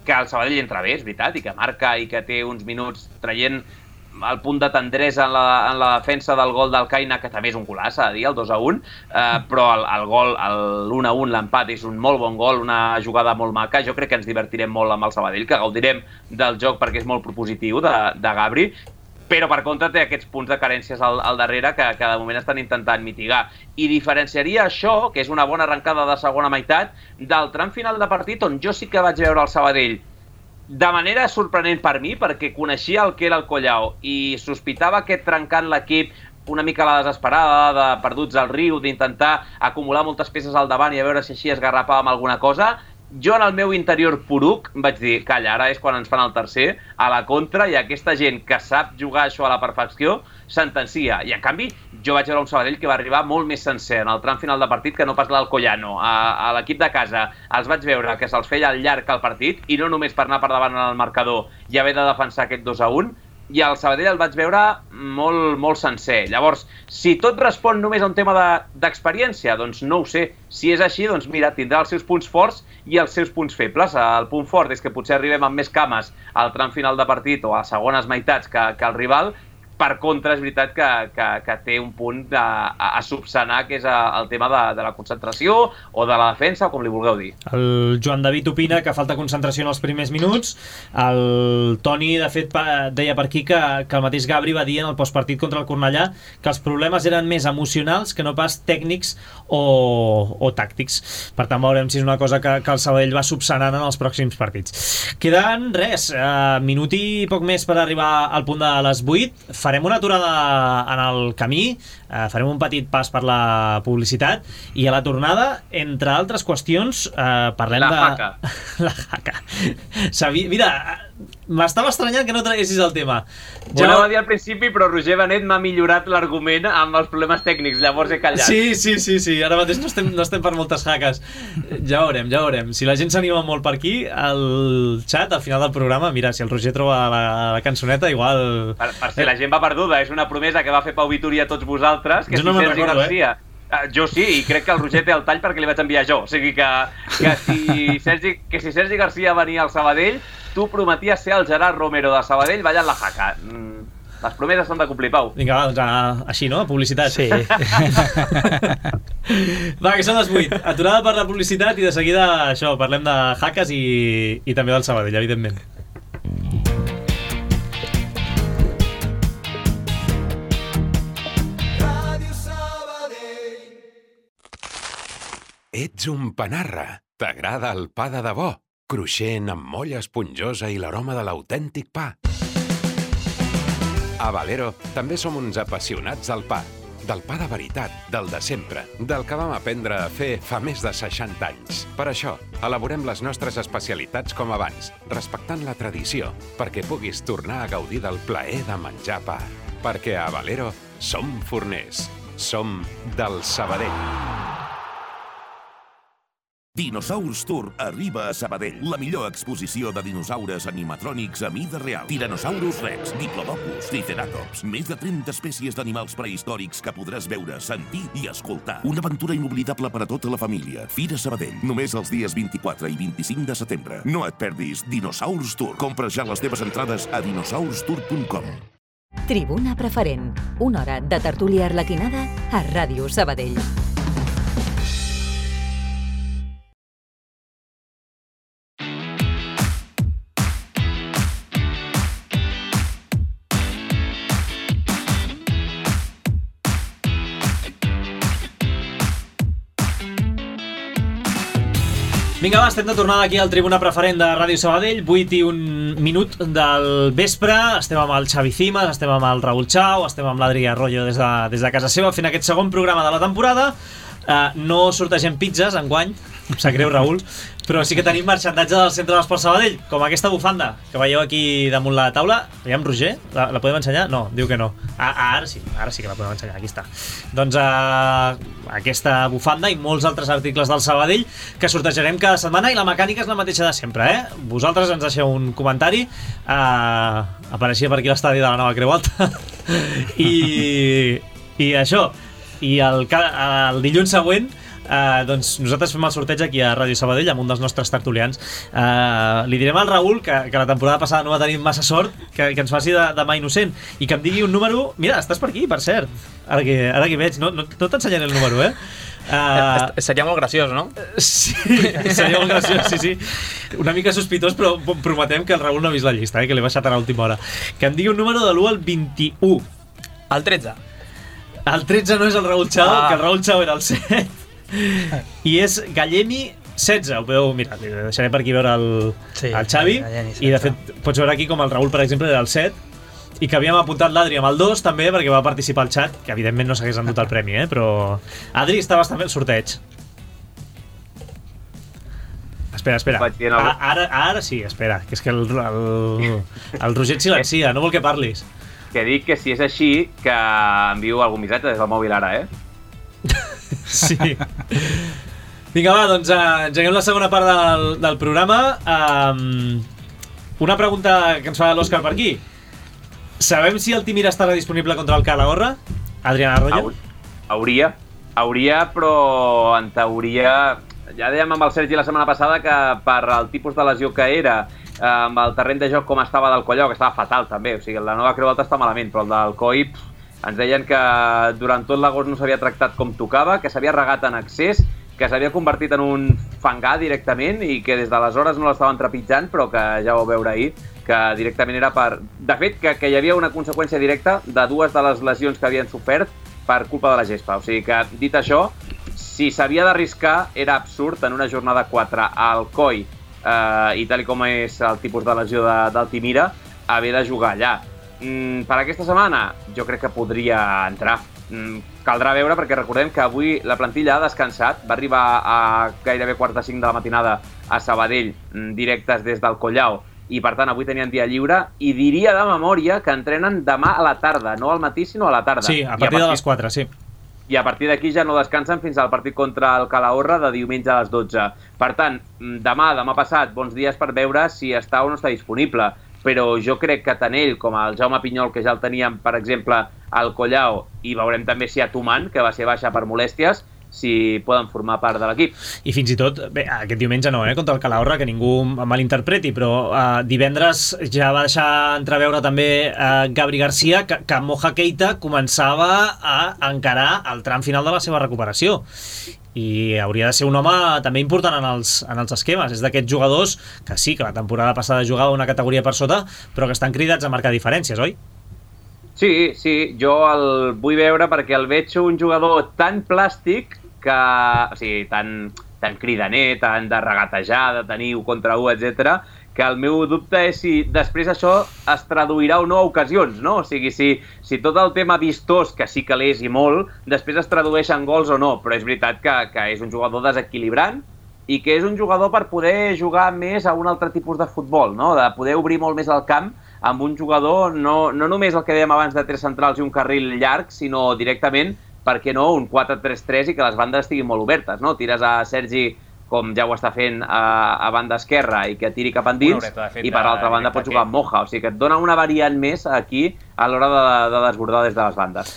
que el Sabadell entra bé, és veritat, i que marca i que té uns minuts traient el punt de tendresa en la, en la defensa del gol del Caina, que també és un golaç, s'ha de dir, el dos a un, eh, però el, el gol, l'un a un, l'empat, és un molt bon gol, una jugada molt maca. Jo crec que ens divertirem molt amb el Sabadell, que gaudirem del joc perquè és molt propositiu de, de Gabri, però per contra té aquests punts de carències al, al darrere que, que de moment estan intentant mitigar. I diferenciaria això, que és una bona arrencada de segona meitat, del tram final de partit on jo sí que vaig veure el Sabadell de manera sorprenent per mi, perquè coneixia el que era el Collao i sospitava que trencant l'equip una mica a la desesperada, de perduts al riu, d'intentar acumular moltes peces al davant i a veure si així esgarrapàvem alguna cosa. Jo en el meu interior poruc vaig dir, calla, ara és quan ens fan el tercer, a la contra, i aquesta gent que sap jugar això a la perfecció sentencia. I en canvi jo vaig veure un Sabadell que va arribar molt més sencer en el tram final de partit que no pas l'Alcoyano. A, a l'equip de casa els vaig veure que se'ls feia al llarg el partit, i no només per anar per davant en el marcador i haver de defensar aquest dos a un, i el Sabadell el vaig veure molt, molt sencer. Llavors, si tot respon només a un tema d'experiència, de, doncs no ho sé. Si és així, doncs mira, tindrà els seus punts forts i els seus punts febles. El punt fort és que potser arribem amb més cames al tram final de partit o a segones meitats que, que el rival. Per contra, és veritat que, que, que té un punt a, a, a subsanar, que és el tema de, de la concentració o de la defensa, o com li vulgueu dir. El Joan David opina que falta concentració en els primers minuts. El Toni, de fet, pa, deia per aquí que, que el mateix Gabri va dir en el postpartit contra el Cornellà que els problemes eren més emocionals que no pas tècnics o, o tàctics. Per tant, veurem si és una cosa que, que el Sabadell va subsanant en els pròxims partits. Queden res, eh, minut i poc més per arribar al punt de les vuit. Farem una aturada en el camí, eh, farem un petit pas per la publicitat, i a la tornada, entre altres qüestions, eh, parlem la de... Jaca. La jaca. Sabi... Mira, m'estava estranyant que no traguessis el tema. Ja... Ho anava a dir al principi, però Roger Benet m'ha millorat l'argument amb els problemes tècnics, llavors he callat. Sí, sí, sí, sí. Ara mateix no estem, no estem per moltes jaques. Ja veurem, ja veurem. Si la gent s'anima molt per aquí, al xat, al final del programa, mira, si el Roger troba la, la cançoneta, igual... Per, per si la gent va perduda, és una promesa que va fer Pau Vituri a tots vosaltres, que jo no si Sergi recordo, Garcia... Eh? Uh, jo sí, i crec que el Roger té el tall perquè li vaig enviar jo. O sigui que, que, si, Sergi, que si Sergi Garcia venia al Sabadell, tu prometies ser el Gerard Romero de Sabadell ballant la jaca. Mm, les promeses s'han de complir, Pau. Vinga, va, doncs a, així, no? Publicitat. Sí. Va, que són les vuit. Aturada per la publicitat i de seguida, això, parlem de jaques i, i també del Sabadell, evidentment. Ets un panarra. T'agrada el pa de debò? Cruixent, amb molla esponjosa i l'aroma de l'autèntic pa. A Valero també som uns apassionats del pa. Del pa de veritat, del de sempre, del que vam aprendre a fer fa més de seixanta anys. Per això, elaborem les nostres especialitats com abans, respectant la tradició, perquè puguis tornar a gaudir del plaer de menjar pa. Perquè a Valero som forners. Som del Sabadell. Dinosaurs Tour arriba a Sabadell. La millor exposició de dinosaures animatrònics a mida real. Tyrannosaurus Rex, Diplodocus, Triceratops. Més de trenta espècies d'animals prehistòrics que podràs veure, sentir i escoltar. Una aventura inoblidable per a tota la família. Fira Sabadell. Només els dies vint-i-quatre i vint-i-cinc de setembre. No et perdis Dinosaurs Tour. Compra ja les teves entrades a dinosaurs tour punt com. Tribuna Preferent. Una hora de tertúlia arlequinada a Ràdio Sabadell. Vinga, va, estem de tornada aquí al Tribuna Preferent de Ràdio Sabadell, vuit i un minut del vespre. Estem amb el Xavi Cimas, estem amb el Raül Chao, estem amb l'Adri Arroyo des de, des de casa seva fent aquest segon programa de la temporada. Uh, no sortegem pizzas enguany, em sap greu, Raül, però sí que tenim marxandatge del Centre d'Esport Sabadell, com aquesta bufanda que veieu aquí damunt la taula. Veiem, Roger? La, la podem ensenyar? No, diu que no. Ah, ara sí, ara sí que la podem ensenyar, aquí està. Doncs uh, aquesta bufanda i molts altres articles del Sabadell que sortejarem cada setmana, i la mecànica és la mateixa de sempre, eh? Vosaltres ens deixeu un comentari, uh, apareixia per aquí l'estadi de la Nova Creu Alta, i, i això, i el, el dilluns següent Uh, doncs nosaltres fem el sorteig aquí a Ràdio Sabadell amb un dels nostres tertulians. Uh, li direm al Raül que, que la temporada passada no va tenir massa sort, que, que ens faci de, de mà innocent i que em digui un número. Mira, estàs per aquí, per cert. Ara que, ara que veig, no, no, no t'ensenyaré el número, eh? Uh, seria molt graciós, no? Sí, seria molt graciós, sí, sí. Una mica sospitós, però prometem que el Raül no ha vist la llista, eh? Que l'he baixat a l'última hora. Que em digui un número de l'u al vint-i-u. El tretze. El tretze no és el Raül Chao, ah. que el Raül Chao era el set. I és Gallemi setze. Ho podeu mirar, deixaré per aquí veure el, sí, el Xavi, i de fet pots veure aquí com el Raül, per exemple, era el set, i que havíem apuntat l'Adri amb el dos també, perquè va participar al xat, que evidentment no s'hagués endut el premi, eh? Però Adri, estaves també al sorteig. Espera, espera. A, ara, ara sí, espera, que és que el, el, el Roger et silencia, no vol que parlis. Que dic que si és així, que envio algun missatge des del mòbil ara, eh? Sí. Vinga, va, doncs uh, engeguem la segona part del, del programa. Um, una pregunta que ens fa l'Òscar per aquí. Sabem si el Timira estarà disponible contra el Calahorra? Adriana Arroyo? Hauria, hauria, però en teoria... Ja dèiem amb el Sergi la setmana passada que per el tipus de lesió que era, amb el terreny de joc com estava del Collao, que estava fatal també, o sigui, la Nova Creu Alta està malament, però el del Coi... Pff, ens deien que durant tot l'agost no s'havia tractat com tocava, que s'havia regat en excés, que s'havia convertit en un fangar directament i que des d'aleshores no l'estaven trepitjant, però que ja ho vau veure ahir, que directament era per... De fet, que, que hi havia una conseqüència directa de dues de les lesions que havien sofert per culpa de la gespa. O sigui que, dit això, si s'havia d'arriscar, era absurd en una jornada quatre al Coi, eh, i tal com és el tipus de lesió de, del Timira, haver de jugar allà. Mm, per aquesta setmana jo crec que podria entrar. Mm, caldrà veure, perquè recordem que avui la plantilla ha descansat, va arribar a gairebé quart de cinc de la matinada a Sabadell, mm, directes des del Collao, i per tant avui tenien dia lliure, i diria de memòria que entrenen demà a la tarda, no al matí sinó a la tarda. Sí, a partir, a partir de les quatre, sí. I a partir d'aquí ja no descansen fins al partit contra el Calahorra de diumenge a les dotze. Per tant, demà, demà passat, bons dies per veure si està o no està disponible. Però jo crec que tant ell com el Jaume Pinyol, que ja el teníem, per exemple, al Collao, i veurem també si Atuman, que va ser baixa per molèsties, si poden formar part de l'equip. I fins i tot, bé, aquest diumenge no, eh, contra el Calahorra, que ningú malinterpreti, però eh, divendres ja va deixar entreveure també eh, Gabri Garcia que, que Moja Keita començava a encarar el tram final de la seva recuperació. I hauria de ser un home també important en els, en els esquemes. És d'aquests jugadors que sí, que la temporada passada jugava una categoria per sota, però que estan cridats a marcar diferències, oi? Sí, sí, jo el vull veure perquè el veig un jugador tan plàstic que, o sigui, tan, tan cridaner, tan de regatejar, de tenir u contra u, etcètera, que el meu dubte és si després això es traduirà o no a ocasions, no? O sigui, si, si tot el tema vistós, que sí que l'és i molt, després es tradueix en gols o no, però és veritat que, que és un jugador desequilibrant i que és un jugador per poder jugar més a un altre tipus de futbol, no? De poder obrir molt més el camp amb un jugador, no, no només el que dèiem abans de tres centrals i un carril llarg, sinó directament, per què no, un quatre tres tres i que les bandes estiguin molt obertes, no? Tires a Sergi, com ja ho està fent a, a banda esquerra, i que tiri cap endins, i per l'altra banda pots jugar amb Moja, o sigui que et dona una variant més aquí a l'hora de, de desbordar des de les bandes.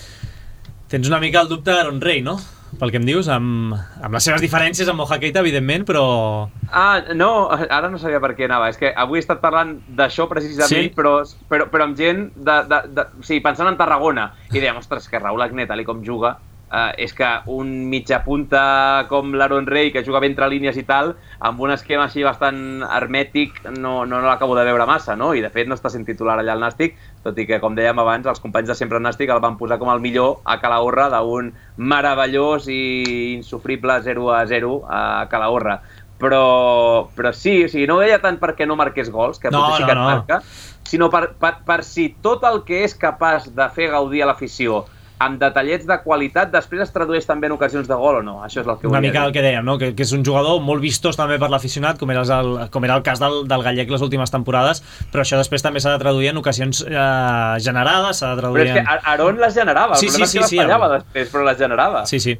Tens una mica el dubte d'Aaron Rey, no? Pel que em dius, amb, amb les seves diferències amb Moja Keita, evidentment, però... Ah, no, ara no sabia per què anava. És que avui he estat parlant d'això precisament, sí? però, però, però amb gent, de, de, de, o sigui, pensant en Tarragona, i dèiem, ostres, que Raúl Agnet, tal com juga, eh, és que un mitja punta com l'Aaron Rey, que juga entre línies i tal, amb un esquema així bastant hermètic, no, no, no l'acabo de veure massa, no? I de fet no està sent titular allà al Nàstic, tot i que, com dèiem abans, els companys de Sempre Nàstic el van posar com el millor a Calahorra d'un meravellós i insufrible zero a zero a Calahorra. Però, però sí, o sigui, no ho deia tant perquè no marqués gols, que no, potser sí no, que et no. marca, sinó per, per, per si tot el que és capaç de fer gaudir a l'afició amb detallets de qualitat, després es tradueix també en ocasions de gol o no? Això és el que una volia mica dir. el que dèiem, no? que, que és un jugador molt vistós també per l'aficionat, com, era el, com era el cas del, del gallec les últimes temporades, però això després també s'ha de traduir en ocasions eh, generades, s'ha de traduir Però és que Aaron les generava, sí, el problema sí, és que sí, les fallava sí, després, però les generava. Sí, sí.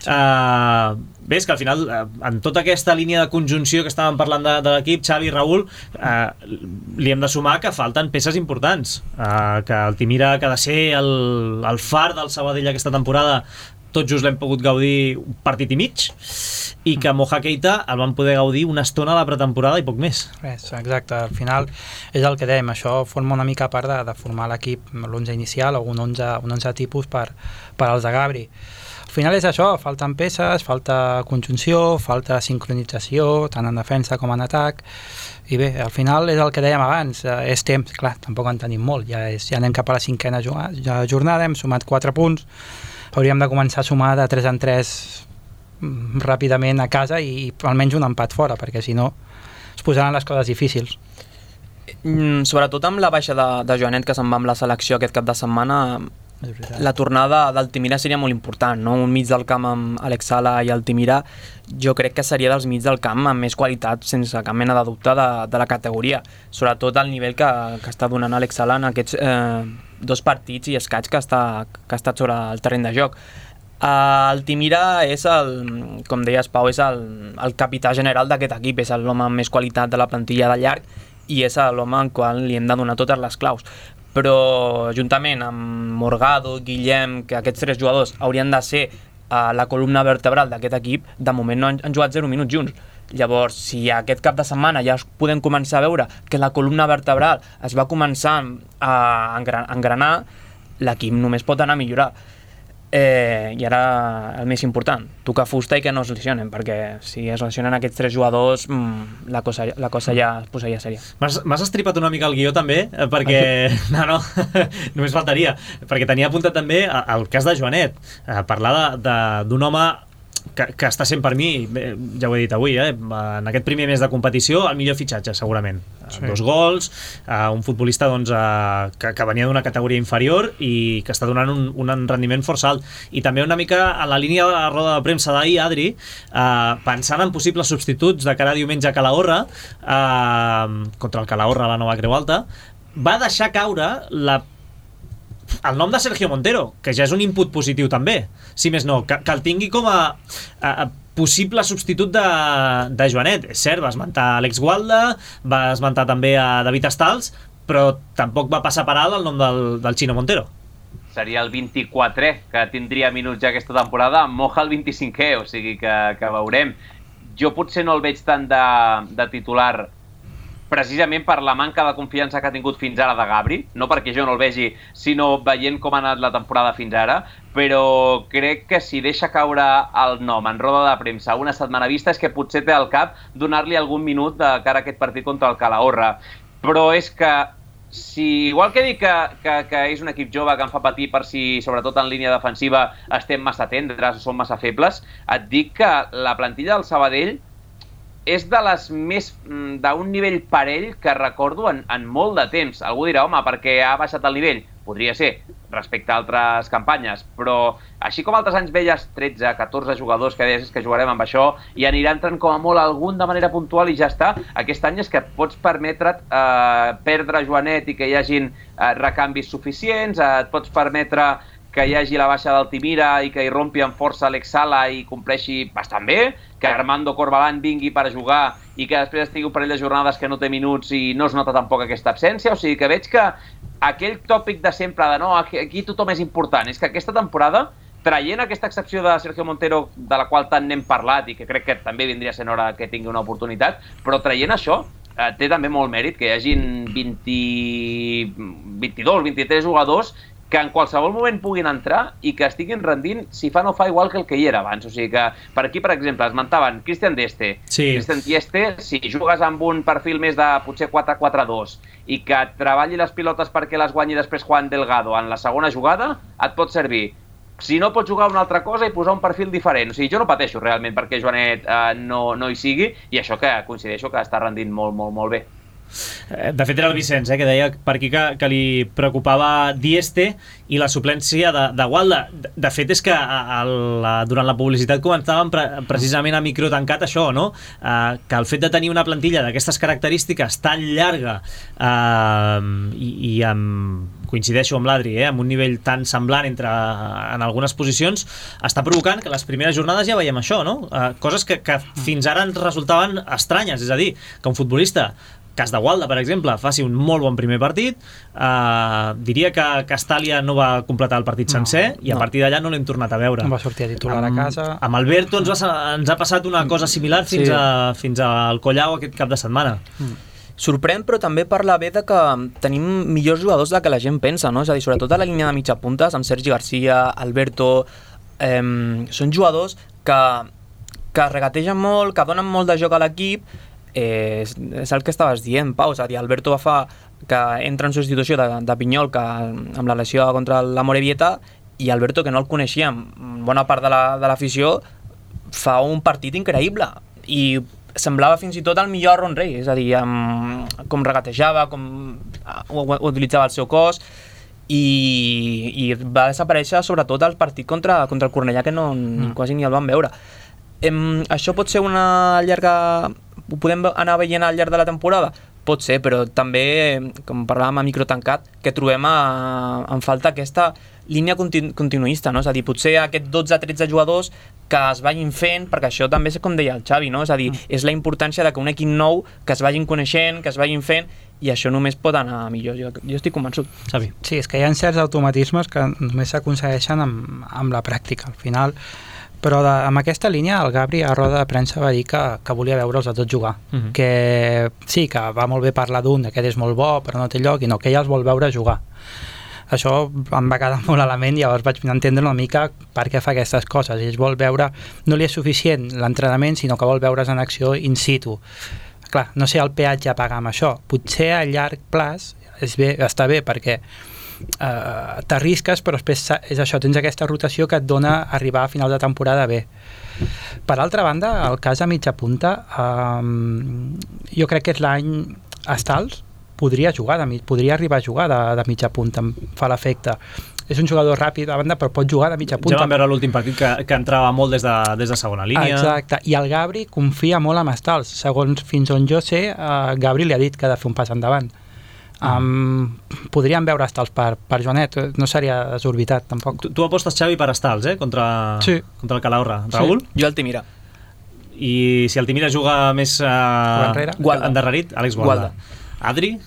Uh, bé, és que al final, uh, en tota aquesta línia de conjunció que estàvem parlant de, de l'equip, Xavi i Raül, uh, li hem de sumar que falten peces importants, uh, que el Timira, que ha de ser el, el far del Sabadell aquesta temporada, tot just l'hem pogut gaudir un partit i mig, i que Moja Keita el van poder gaudir una estona a la pretemporada i poc més. Res, exacte, al final és el que dèiem, això forma una mica part de, de formar l'equip, l'onze inicial o un onze, un onze tipus per, per als de Gabri. Al final és això, falten peces, falta conjunció, falta sincronització, tant en defensa com en atac, i bé, al final és el que dèiem abans, és temps, clar, tampoc en tenim molt, ja, és, ja anem cap a la cinquena jornada, hem sumat quatre punts, hauríem de començar a sumar de tres en tres ràpidament a casa i, i almenys un empat fora, perquè si no es posaran les coses difícils. Mm, sobretot amb la baixa de, de Joanet, que se'n va amb la selecció aquest cap de setmana, la tornada del Timira seria molt important, no? Un mig del camp amb Alex Sala i el Timira, jo crec que seria dels mig del camp amb més qualitat, sense cap mena de dubte, de, de la categoria, sobretot al nivell que, que està donant Alex Sala en aquests eh, dos partits i escaig que està, que ha estat sobre el terreny de joc. El Timira és el, com deies Pau, és el, el capità general d'aquest equip, és l'home amb més qualitat de la plantilla de llarg i és l'home al qual li hem de donar totes les claus. Però juntament amb Morgado, Guillem, que aquests tres jugadors haurien de ser uh, la columna vertebral d'aquest equip, de moment no han, han jugat zero minuts junts. Llavors, si aquest cap de setmana ja podem començar a veure que la columna vertebral es va començar a engranar, l'equip només pot anar a millorar. Eh, I ara el més important, tocar fusta i que no es lesionen, perquè si es lesionen aquests tres jugadors mmm, la, cosa, la cosa ja es posaria sèria. M'has estripat una mica el guió també, perquè no, no, només faltaria, perquè tenia apuntat també el cas de Joanet, a parlar d'un home que, que està sent per mi, ja ho he dit avui, eh, en aquest primer mes de competició el millor fitxatge segurament, sí. Dos gols, uh, un futbolista doncs, uh, que, que venia d'una categoria inferior i que està donant un, un rendiment força alt, i també una mica a la línia de la roda de premsa d'ahir, Adri, uh, pensant en possibles substituts de cara a diumenge a Calahorra, uh, contra el Calahorra a la Nova Creu Alta, va deixar caure la el nom de Sergio Montero, que ja és un input positiu també, si més no, que, que el tingui com a, a, a possible substitut de, de Joanet. És cert, va esmentar Alex Gualda, va esmentar també a David Estals, però tampoc va passar per alt el nom del, del Chino Montero. seria el vint-i-quatrè que tindria minuts ja aquesta temporada, Moja el vint-i-cinquè, o sigui que, que veurem. Jo potser no el veig tant de, de titular precisament per la manca de confiança que ha tingut fins ara de Gabri, no perquè jo no el vegi, sinó veient com ha anat la temporada fins ara, però crec que si deixa caure el nom en roda de premsa una setmana vista és que potser té al cap donar-li algun minut de cara a aquest partit contra el Calahorra. Però és que, si igual que dic que, que, que és un equip jove que em fa patir per si, sobretot en línia defensiva, estem massa tendres o som massa febles, et dic que la plantilla del Sabadell és de les més d'un nivell parell que recordo en, en molt de temps. Algú dirà, home, perquè ha baixat el nivell? Podria ser, respecte a altres campanyes, però així com altres anys veies tretze, catorze jugadors que deies que jugarem amb això i anirà entrant com a molt algun de manera puntual i ja està, aquest any és que pots permetre't eh, perdre Joanet i que hi hagin eh, recanvis suficients, eh, et pots permetre que hi hagi la baixa d'Altimira i que hi rompi amb força Alex Sala i compleixi bastant bé, que Armando Corbalán vingui per jugar i que després estigui un parell de jornades que no té minuts i no es nota tampoc aquesta absència, o sigui que veig que aquell tòpic de sempre de no, aquí tothom és important, és que aquesta temporada, traient aquesta excepció de Sergio Montero, de la qual tant n'hem parlat i que crec que també vindria sent hora que tingui una oportunitat, però traient això, eh, té també molt mèrit que hi hagin vint, vint-i-dos, vint-i-tres jugadors que en qualsevol moment puguin entrar i que estiguin rendint, si fa no fa, igual que el que hi era abans. O sigui que per aquí, per exemple, esmentaven Cristian Dieste. Sí. Cristian Dieste, si jugues amb un perfil més de potser quatre quatre dos i que treballi les pilotes perquè les guanyi després Juan Delgado en la segona jugada, et pot servir. Si no, pots jugar una altra cosa i posar un perfil diferent. O sigui, jo no pateixo realment perquè Joanet eh, no, no hi sigui, i això que coincideixo que està rendint molt, molt, molt bé. De fet era el Vicenç, eh, que deia per aquí que, que li preocupava Dieste i la suplència de, de Gualda. De, de fet és que a, a, durant la publicitat comentàvem pre, precisament a micro tancat això, no? Eh, que el fet de tenir una plantilla d'aquestes característiques tan llarga eh, i, i amb, coincideixo amb l'Adri, eh, amb un nivell tan semblant entre, en algunes posicions, està provocant que les primeres jornades ja veiem això, no? Eh, coses que, que fins ara ens resultaven estranyes, és a dir, que un futbolista, cas de Gualda, per exemple, faci un molt bon primer partit, eh, diria que Castàlia no va completar el partit sencer no, i a no. partir d'allà no l'hem tornat a veure. No va sortir a titular amb, a casa. Amb Alberto ens, va, ens ha passat una cosa similar fins, sí. a, fins al Collao aquest cap de setmana. Mm. Sorprèn, però també parla bé de que tenim millors jugadors del que la gent pensa, no? És a dir, sobretot a la línia de mitja puntes, amb Sergi Garcia, Alberto, eh, són jugadors que, que regategen molt, que donen molt de joc a l'equip. Eh, és, és el que estaves dient, Pau, és a dir, Alberto va fa que entra en substitució de, de Pinyol que, amb la lesió contra la Morevieta, i Alberto, que no el coneixíem, bona part de l'afició, la, fa un partit increïble i semblava fins i tot el millor Aaron Rey, és a dir, amb, com regatejava, com utilitzava el seu cos, i, i va desaparèixer sobretot el partit contra, contra el Cornellà, que no, mm. quasi ni el vam veure. Em, això pot ser una llarga... Ho podem anar veient al llarg de la temporada? Pot ser, però també, com parlàvem a micro tancat, que trobem a, en falta aquesta línia continu, continuista, no? És a dir, potser aquests dotze tretze jugadors que es vagin fent, perquè això també és com deia el Xavi, no? És a dir, mm. és la importància de que un equip nou, que es vagin coneixent, que es vagin fent, i això només pot anar millor, jo, jo estic convençut. Xavi. Sí, és que hi ha certs automatismes que només s'aconsegueixen amb, amb la pràctica, al final. Però de, amb aquesta línia el Gabri a roda de premsa va dir que, que volia veure'ls a tots jugar, uh -huh. que sí, que va molt bé parlar d'un, aquest és molt bo però no té lloc, i no, que ell els vol veure jugar. Això em va quedar molt a la ment, llavors vaig entendre una mica per què fa aquestes coses. Ell vol veure, no li és suficient l'entrenament, sinó que vol veure's en acció in situ. Clar, no sé el peatge a pagar amb això, potser a llarg plaç és bé, està bé, perquè Uh, t'arrisques, però després és això, tens aquesta rotació que et dona arribar a final de temporada bé. Per altra banda, el cas a mitja punta, um, jo crec que és l'any Estals podria jugar, de, podria arribar a jugar de, de mitja punta, em fa l'efecte. És un jugador ràpid a banda, però pot jugar de mitja punta. Ja vam veure l'últim partit que, que entrava molt des de, des de segona línia. Exacte, i el Gabri confia molt en Estals. Segons fins on jo sé, uh, Gabri li ha dit que ha de fer un pas endavant. Um, podríem veure Estals per, per Joanet, no seria desorbitat tampoc. Tu, tu apostes, Xavi, per Estals, eh? Contra, sí. contra el Calahorra. Raül? Sí. Jo Altimira. I si Altimira juga més uh, Gualda. endarrerit, Àlex Gualda. Gualda. Adri,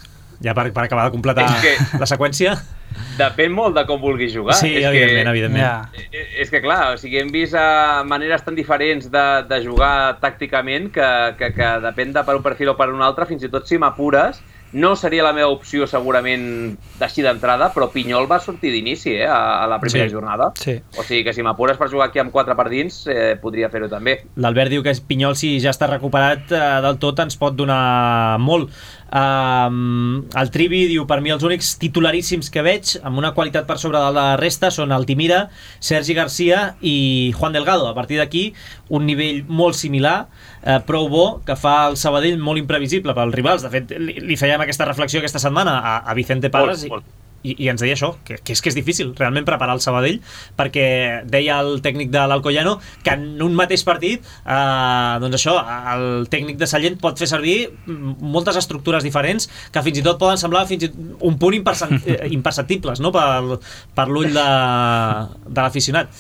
ja per, per acabar de completar que... la seqüència. depèn molt de com vulguis jugar. Sí, és evidentment, que, evidentment. Ja. És que, clar, o sigui, hem vist uh, maneres tan diferents de, de jugar tàcticament que, que, que depèn de per un perfil o per un altre, fins i tot si m'apures, no seria la meva opció segurament d'així d'entrada, però Pinyol va sortir d'inici eh, a, a la primera Sí. jornada. Sí. O sigui que si m'apures per jugar aquí amb quatre per dins, eh, podria fer-ho també. L'Albert diu que Pinyol, si ja està recuperat eh, del tot, ens pot donar molt. Um, el Trivi diu, per mi els únics titularíssims que veig amb una qualitat per sobre de la resta són Altimira, Sergi Garcia i Juan Delgado. A partir d'aquí, un nivell molt similar, eh, prou bo, que fa el Sabadell molt imprevisible pels rivals. De fet, li, li fèiem aquesta reflexió aquesta setmana a, a Vicente Parras Molt, molt. i, i ens deia això, que, que és que és difícil realment preparar el Sabadell, perquè deia el tècnic de l'Alcoyano que en un mateix partit eh, doncs això, el tècnic de Sallent pot fer servir moltes estructures diferents que fins i tot poden semblar fins i tot un punt imperceptibles, no? per, per l'ull de, de l'aficionat.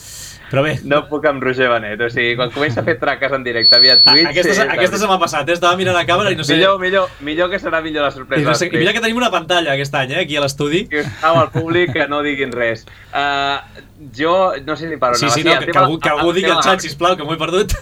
Però bé, No puc amb Roger Benet, o sigui, quan comença a fer traques en directe via Twitch... aquesta, eh, aquesta se m'ha passat, eh? Estava mirant la càmera i no sé... Millor, millor, millor que serà millor la I sorpresa. no sé, i mira que tenim una pantalla aquest any, eh? Aquí a l'estudi. Que estava al públic que no diguin res. Uh, jo no sé ni per on Sí, anava. sí, no, el que, tema- que algú, que algú el digui tema al de xat, Gabri. sisplau, que m'ho he perdut.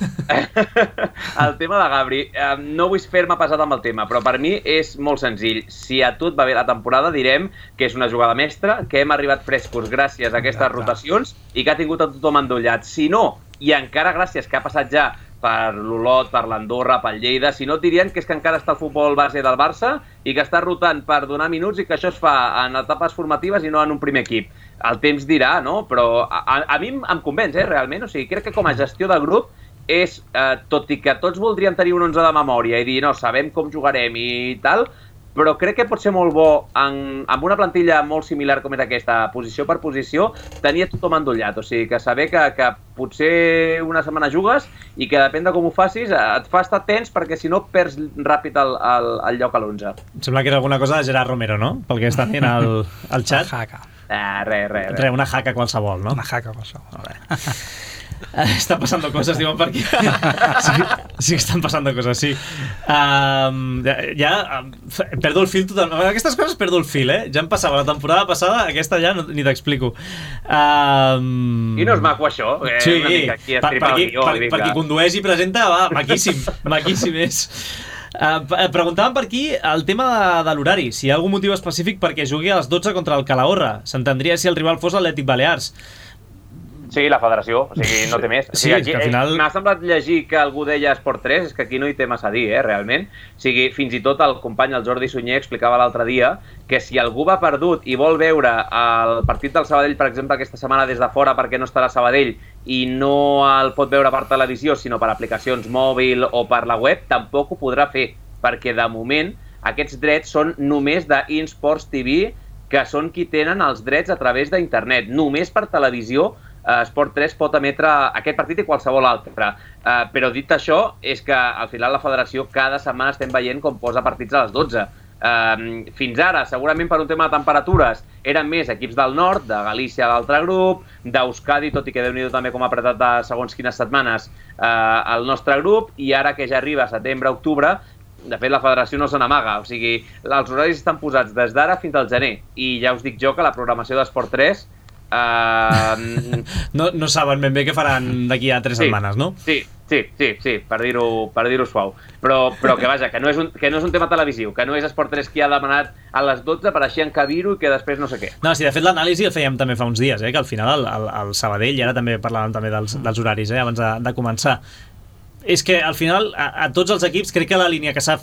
El tema de Gabri, eh, no vull fer-me pesat amb el tema, però per mi és molt senzill. Si a tot va bé la temporada, direm que és una jugada mestra, que hem arribat frescos gràcies a aquestes Exacte. rotacions i que ha tingut a tothom endollat. Si no, i encara gràcies que ha passat ja per l'Olot, per l'Andorra, pel Lleida, si no et dirien que és que encara està el futbol base del Barça i que està rotant per donar minuts i que això es fa en etapes formatives i no en un primer equip. El temps dirà, no? Però a, a, a mi em, em convenç, eh, realment. O sigui, crec que com a gestió de grup és, eh, tot i que tots voldríem tenir un onze de memòria i dir, no, sabem com jugarem i tal, però crec que pot ser molt bo en, amb una plantilla molt similar com és aquesta, posició per posició, tenir tothom endollat. O sigui, que saber que, que potser una setmana jugues i que depèn de com ho facis et fa estar tens perquè si no perds ràpid el, el, el lloc a l'onze. Em sembla que era alguna cosa de Gerard Romero, no? Pel que està dient al, al xat. Jaca. Ah, res, res, res. Re, una jaca qualsevol, no? Una jaca qualsevol. Eh, Està passando coses, diuen per aquí. Sí, sí que estan passando coses, sí. Um, ja, ja um, perdo el fil totalment. Aquestes coses perdo el fil, eh? Ja em passava la temporada passada, aquesta ja no, ni t'explico. Um, I no és maco això? Eh, sí, una mica aquí per, per, estripar qui, el guió, per, vinga. per qui condueix i presenta, va, maquíssim, maquíssim és. Uh, preguntàvem per aquí el tema de, de l'horari, si hi ha algun motiu específic perquè jugui a les dotze contra el Calahorra. S'entendria si el rival fos l'Atlètic Balears. Sí, la federació, o sigui, no té més. O Sí, sigui, és aquí, que al final- eh, m'ha semblat llegir que algú deia Esport tres, és que aquí no hi té massa a dir, eh, realment. O sigui, fins i tot el company, el Jordi Sunyer, explicava l'altre dia que si algú va perdut i vol veure el partit del Sabadell, per exemple, aquesta setmana des de fora perquè no estarà a Sabadell i no el pot veure per televisió, sinó per aplicacions mòbil o per la web, tampoc ho podrà fer, perquè de moment aquests drets són només d'Insports T V, que són qui tenen els drets a través d'internet. Només per televisió Uh, Esport tres pot emetre aquest partit i qualsevol altre. Uh, però dit això, és que al final la federació cada setmana estem veient com posa partits a les dotze. Uh, fins ara, segurament per un tema de temperatures, eren més equips del nord, de Galícia l'altre grup, d'Euskadi, tot i que Déu-n'hi-do també com ha apretat de segons quines setmanes uh, el nostre grup, i ara que ja arriba setembre, octubre, de fet la federació no se n'amaga, o sigui, els horaris estan posats des d'ara fins al gener, i ja us dic jo que la programació d'Esport tres Uh, no, no saben ben bé què faran d'aquí a tres sí, setmanes, no? Sí, sí, sí, sí, per dir-ho per dir-ho suau. Però, però que vaja, que no, és un, que no és un tema televisiu, que no és Esport tres qui ha demanat a les dotze per així encabir-ho i que després no sé què. No, sí, de fet l'anàlisi el fèiem també fa uns dies, eh, que al final el, el, el Sabadell, i ara també parlàvem també dels, dels horaris, eh, abans de, de començar, és que al final a, a tots els equips crec que la línia que s'ha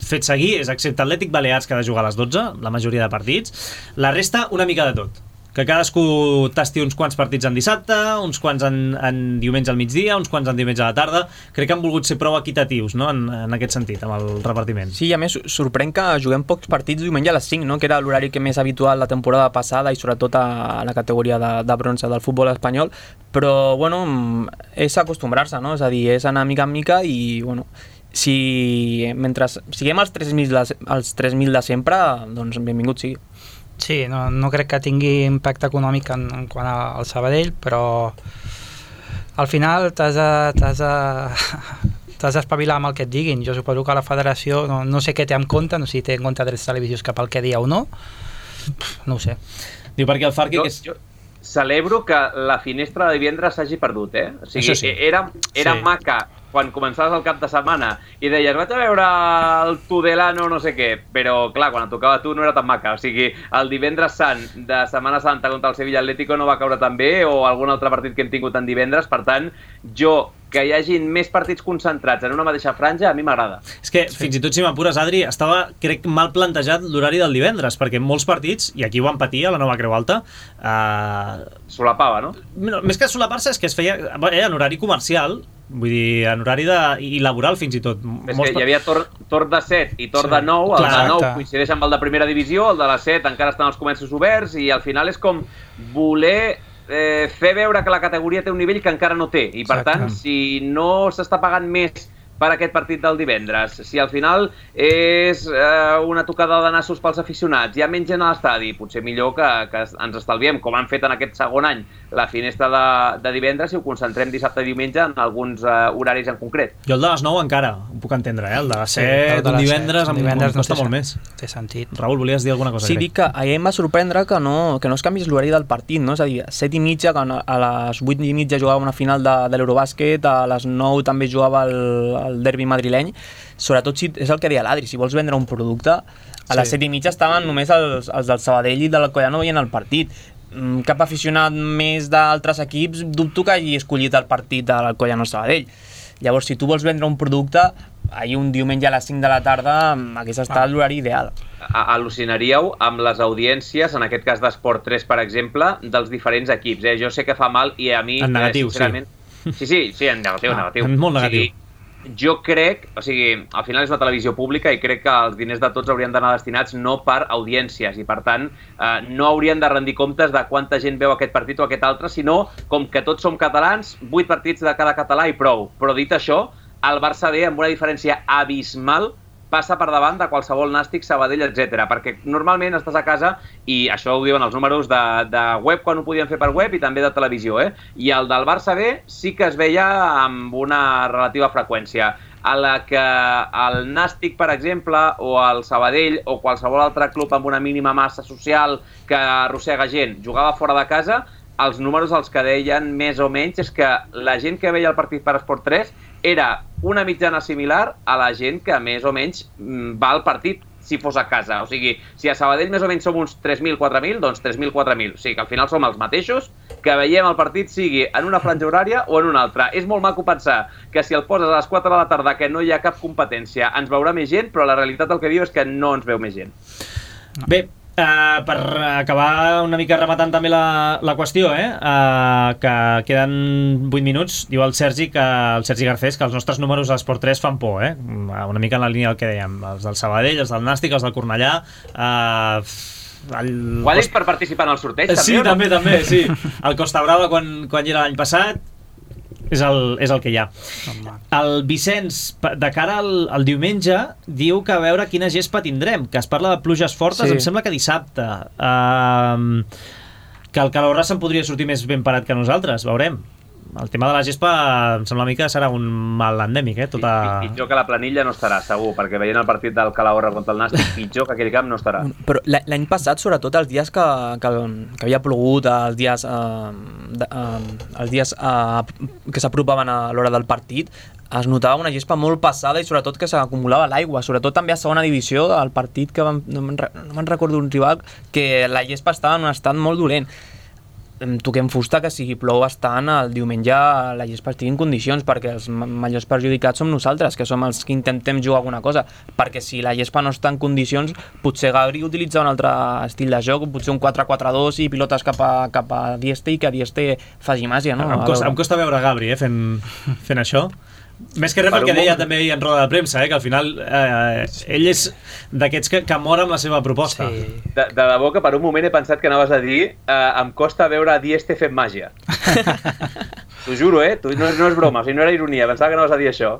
fet seguir és, excepte Atlètic Balears, que ha de jugar a les dotze, la majoria de partits, la resta una mica de tot. Que cadascú tasti uns quants partits en dissabte, uns quants en, en diumenge al migdia, uns quants en diumenge a la tarda. Crec que han volgut ser prou equitatius, no?, en, en aquest sentit, amb el repartiment. Sí, i a més sorprèn que juguem pocs partits diumenge a les cinc, no?, que era l'horari que més habitual la temporada passada i sobretot a la categoria de, de bronze del futbol espanyol, però bueno, és acostumbrar-se, no?, és a dir, és anar mica en mica i bueno, si mentre siguem als tres mil de, als tres mil de sempre, doncs benvingut sigui. Sí, no, no crec que tingui impacte econòmic en, en quant al Sabadell, però al final t'has de, t'has de, t'has d'espavilar amb el que et diguin. Jo suposo que la federació no, no sé què té en compte, no sé si té en compte drets televisius cap al que dia o no, no ho sé. Diu, perquè el Farke... Jo, que és... jo celebro que la finestra de divendres s'hagi perdut, eh? O sigui, sí. era, era sí. maca quan començaves el cap de setmana i deies, vaig a veure el Tudelano no sé què, però clar, quan et tocava a tu no era tan maca, o sigui, el divendres sant de Setmana Santa contra el Sevilla Atlético no va caure tan bé, o algun altre partit que hem tingut en divendres, per tant, jo, que hi hagin més partits concentrats en una mateixa franja, a mi m'agrada. És que, sí. fins i tot si m'apures, Adri, estava, crec, mal plantejat l'horari del divendres, perquè molts partits, i aquí ho van patir a la Nova Creu Alta, eh... solapava, no? no? Més que solapar-se, és que es feia eh, en horari comercial, vull dir, en horari de... i laboral fins i tot. És que hi havia torn, torn de set i torn sí. de nou, el Clar, de nou coincideix amb el de primera divisió, el de la set encara estan els començos oberts, i al final és com voler eh, fer veure que la categoria té un nivell que encara no té, i per Exacte. tant, si no s'està pagant més per aquest partit del divendres, si al final és eh, una tocada de nassos pels aficionats, hi ha menys gent a l'estadi, potser millor que, que ens estalviem, com han fet en aquest segon any, la finestra de, de divendres, i ho concentrem dissabte i diumenge en alguns eh, horaris en concret. Jo el de les nou encara, ho puc entendre, eh? el de les set, sí, un divendres, set, divendres em costa no molt més. Té sentit. Raül, volies dir alguna cosa? Sí, dic que ahir em va sorprendre que no, que no es canvis l'horari del partit, no? És a dir, a set i mitja, que a les vuit i mitja jugava una final de, de l'Eurobàsquet, a les nou també jugava el, el derbi madrileny, sobretot si és el que deia l'Adri, si vols vendre un producte, a les sí. set i mitja estaven només els, els del Sabadell i de l'Alcoyano veient el partit. Cap aficionat més d'altres equips dubto que hagi escollit el partit de l'Alcoyano Sabadell. Llavors, si tu vols vendre un producte, ahir un diumenge a les cinc de la tarda hagués estat ah. l'horari ideal. Al·lucinaríeu amb les audiències, en aquest cas d'Esport tres, per exemple, dels diferents equips. Eh? Jo sé que fa mal i a mi... En negatiu, eh, sincerament... sí. Sí, sí, sí, en negatiu, ah, negatiu. En molt negatiu. O sigui, jo crec, o sigui, al final és una televisió pública i crec que els diners de tots haurien d'anar destinats no per audiències i per tant eh, no haurien de rendir comptes de quanta gent veu aquest partit o aquest altre, sinó com que tots som catalans, vuit partits de cada català i prou. Però dit això, el Barça B amb una diferència abismal passa per davant de qualsevol Nàstic, Sabadell, etcètera. Perquè normalment estàs a casa, i això ho diuen els números de, de web quan ho podien fer per web i també de televisió, eh? I el del Barça B sí que es veia amb una relativa freqüència. A la que el Nàstic, per exemple, o el Sabadell, o qualsevol altre club amb una mínima massa social que arrossega gent, jugava fora de casa, els números els que deien més o menys és que la gent que veia el partit per Esport tres era una mitjana similar a la gent que més o menys va al partit si fos a casa. O sigui, si a Sabadell més o menys som uns tres mil, quatre mil, doncs tres mil, quatre mil. O sigui que al final som els mateixos que veiem el partit sigui en una franja horària o en una altra. És molt maco pensar que si el poses a les quatre de la tarda que no hi ha cap competència ens veurà més gent, però la realitat el que diu és que no ens veu més gent. Bé, Uh, per acabar una mica rematant també la, la qüestió, eh? uh, que queden vuit minuts, diu el Sergi, que el Sergi Garcés, que els nostres números a Esport tres fan por, eh? Una mica en la línia del que dèiem, els del Sabadell, els del Nàstic, els del Cornellà. uh, el... Ho ha dit per participar en el sorteig, també? Sí, no? també, també, sí. El Costa Brava, quan, quan hi era l'any passat, és el, és el que hi ha. El Vicenç, de cara al, al diumenge, diu que a veure quina gespa tindrem, que es parla de pluges fortes, sí. Em sembla que dissabte. Uh, que el Calahorra se'n podria sortir més ben parat que nosaltres, veurem. El tema de la gespa em sembla a mi que serà un mal endèmic, eh? Tota... Pitjor que la planilla no estarà, segur, perquè veient el partit del Calahorra contra el Nàstic, pitjor que aquell camp no estarà. Però l'any passat, sobretot els dies que, que, que havia plogut, els dies, eh, de, eh, els dies eh, que s'apropaven a l'hora del partit, es notava una gespa molt passada i sobretot que s'acumulava l'aigua, sobretot també a segona divisió, el partit que vam, no me'n no recordo un rival, que la gespa estava en un estat molt dolent. Toquem fusta que si plou bastant el diumenge la gespa estigui en condicions, perquè els majors perjudicats som nosaltres, que som els que intentem jugar alguna cosa, perquè si la gespa no està en condicions potser Gabri utilitza un altre estil de joc, potser un quatre quatre dos i pilotes cap a, cap a Dieste i que Dieste faci màgia, no? Em costa, em costa veure Gabri eh, fent, fent això. Més que res perquè deia també en roda de premsa, eh, que al final eh, ell és d'aquests que, que mor amb la seva proposta. Sí. De, de debò que per un moment he pensat que anaves a dir eh, em costa veure Dieste fent màgia. T'ho juro, eh? No, no és broma, o sigui, no era ironia, pensava que anaves a dir això.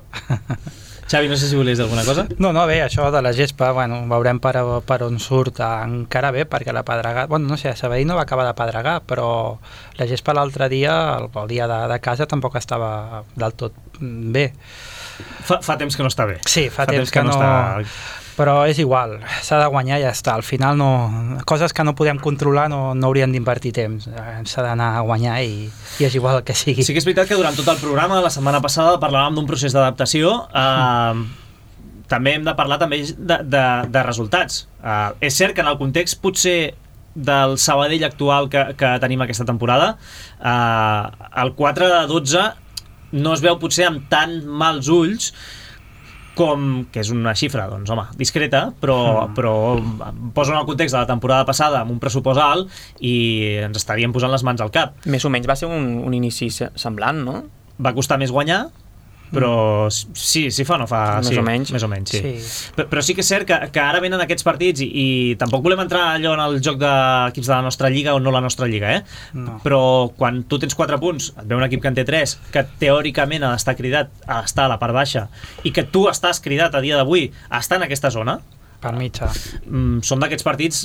Xavi, no sé si volies dir alguna cosa. No, no, bé, això de la gespa, bueno, veurem per, per on surt encara bé, perquè la pedregada, bueno, no sé, a Sabadell no va acabar de pedregar, però la gespa l'altre dia, el, el dia de, de casa, tampoc estava del tot bé. Fa, fa temps que no està bé. Sí, fa, fa temps, temps que, que no... Està... Però és igual, s'ha de guanyar i ja està. Al final, no, coses que no podem controlar no, no haurien d'invertir temps. S'ha d'anar a guanyar i, i és igual el que sigui. Sí que és veritat que durant tot el programa, la setmana passada, parlàvem d'un procés d'adaptació. Eh, també hem de parlar també de, de, de resultats. Eh, és cert que en el context potser del Sabadell actual que, que tenim aquesta temporada, eh, el quatre de dotze no es veu potser amb tan mals ulls com, que és una xifra, doncs, home, discreta, però, mm. però posa en el context de la temporada passada amb un pressupost alt i ens estaríem posant les mans al cap. Més o menys va ser un, un inici semblant, no? Va costar més guanyar, però sí, sí fa o no fa... Més sí, o menys. Més o menys, sí. Sí. Però, però sí que és cert que, que ara venen aquests partits i, i tampoc volem entrar allò en el joc d'equips de la nostra lliga o no la nostra lliga, eh? No. Però quan tu tens quatre punts, et ve un equip que en té tres, que teòricament ha d'estar cridat a estar a la part baixa i que tu estàs cridat a dia d'avui a estar en aquesta zona, Per mitja. mm, són d'aquests partits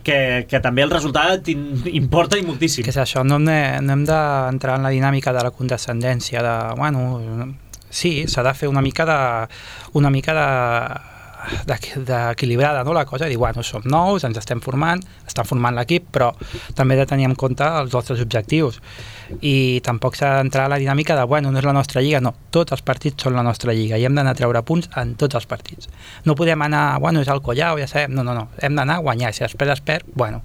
que, que també el resultat importa i moltíssim. Que és això, no hem de- no hem d'entrar en la dinàmica de la condescendència, de, bueno, sí, s'ha de fer una mica de, una mica de, d'equilibrada, no, la cosa, dir, bueno, som nous, ens estem formant, estan formant l'equip, però també he de tenir en compte els nostres objectius i tampoc s'ha d'entrar a la dinàmica de, bueno, no és la nostra lliga, no, tots els partits són la nostra lliga i hem d'anar a treure punts en tots els partits. No podem anar, bueno, és el Collao, ja sabem, no, no, no, hem d'anar a guanyar, si després es perd, bueno,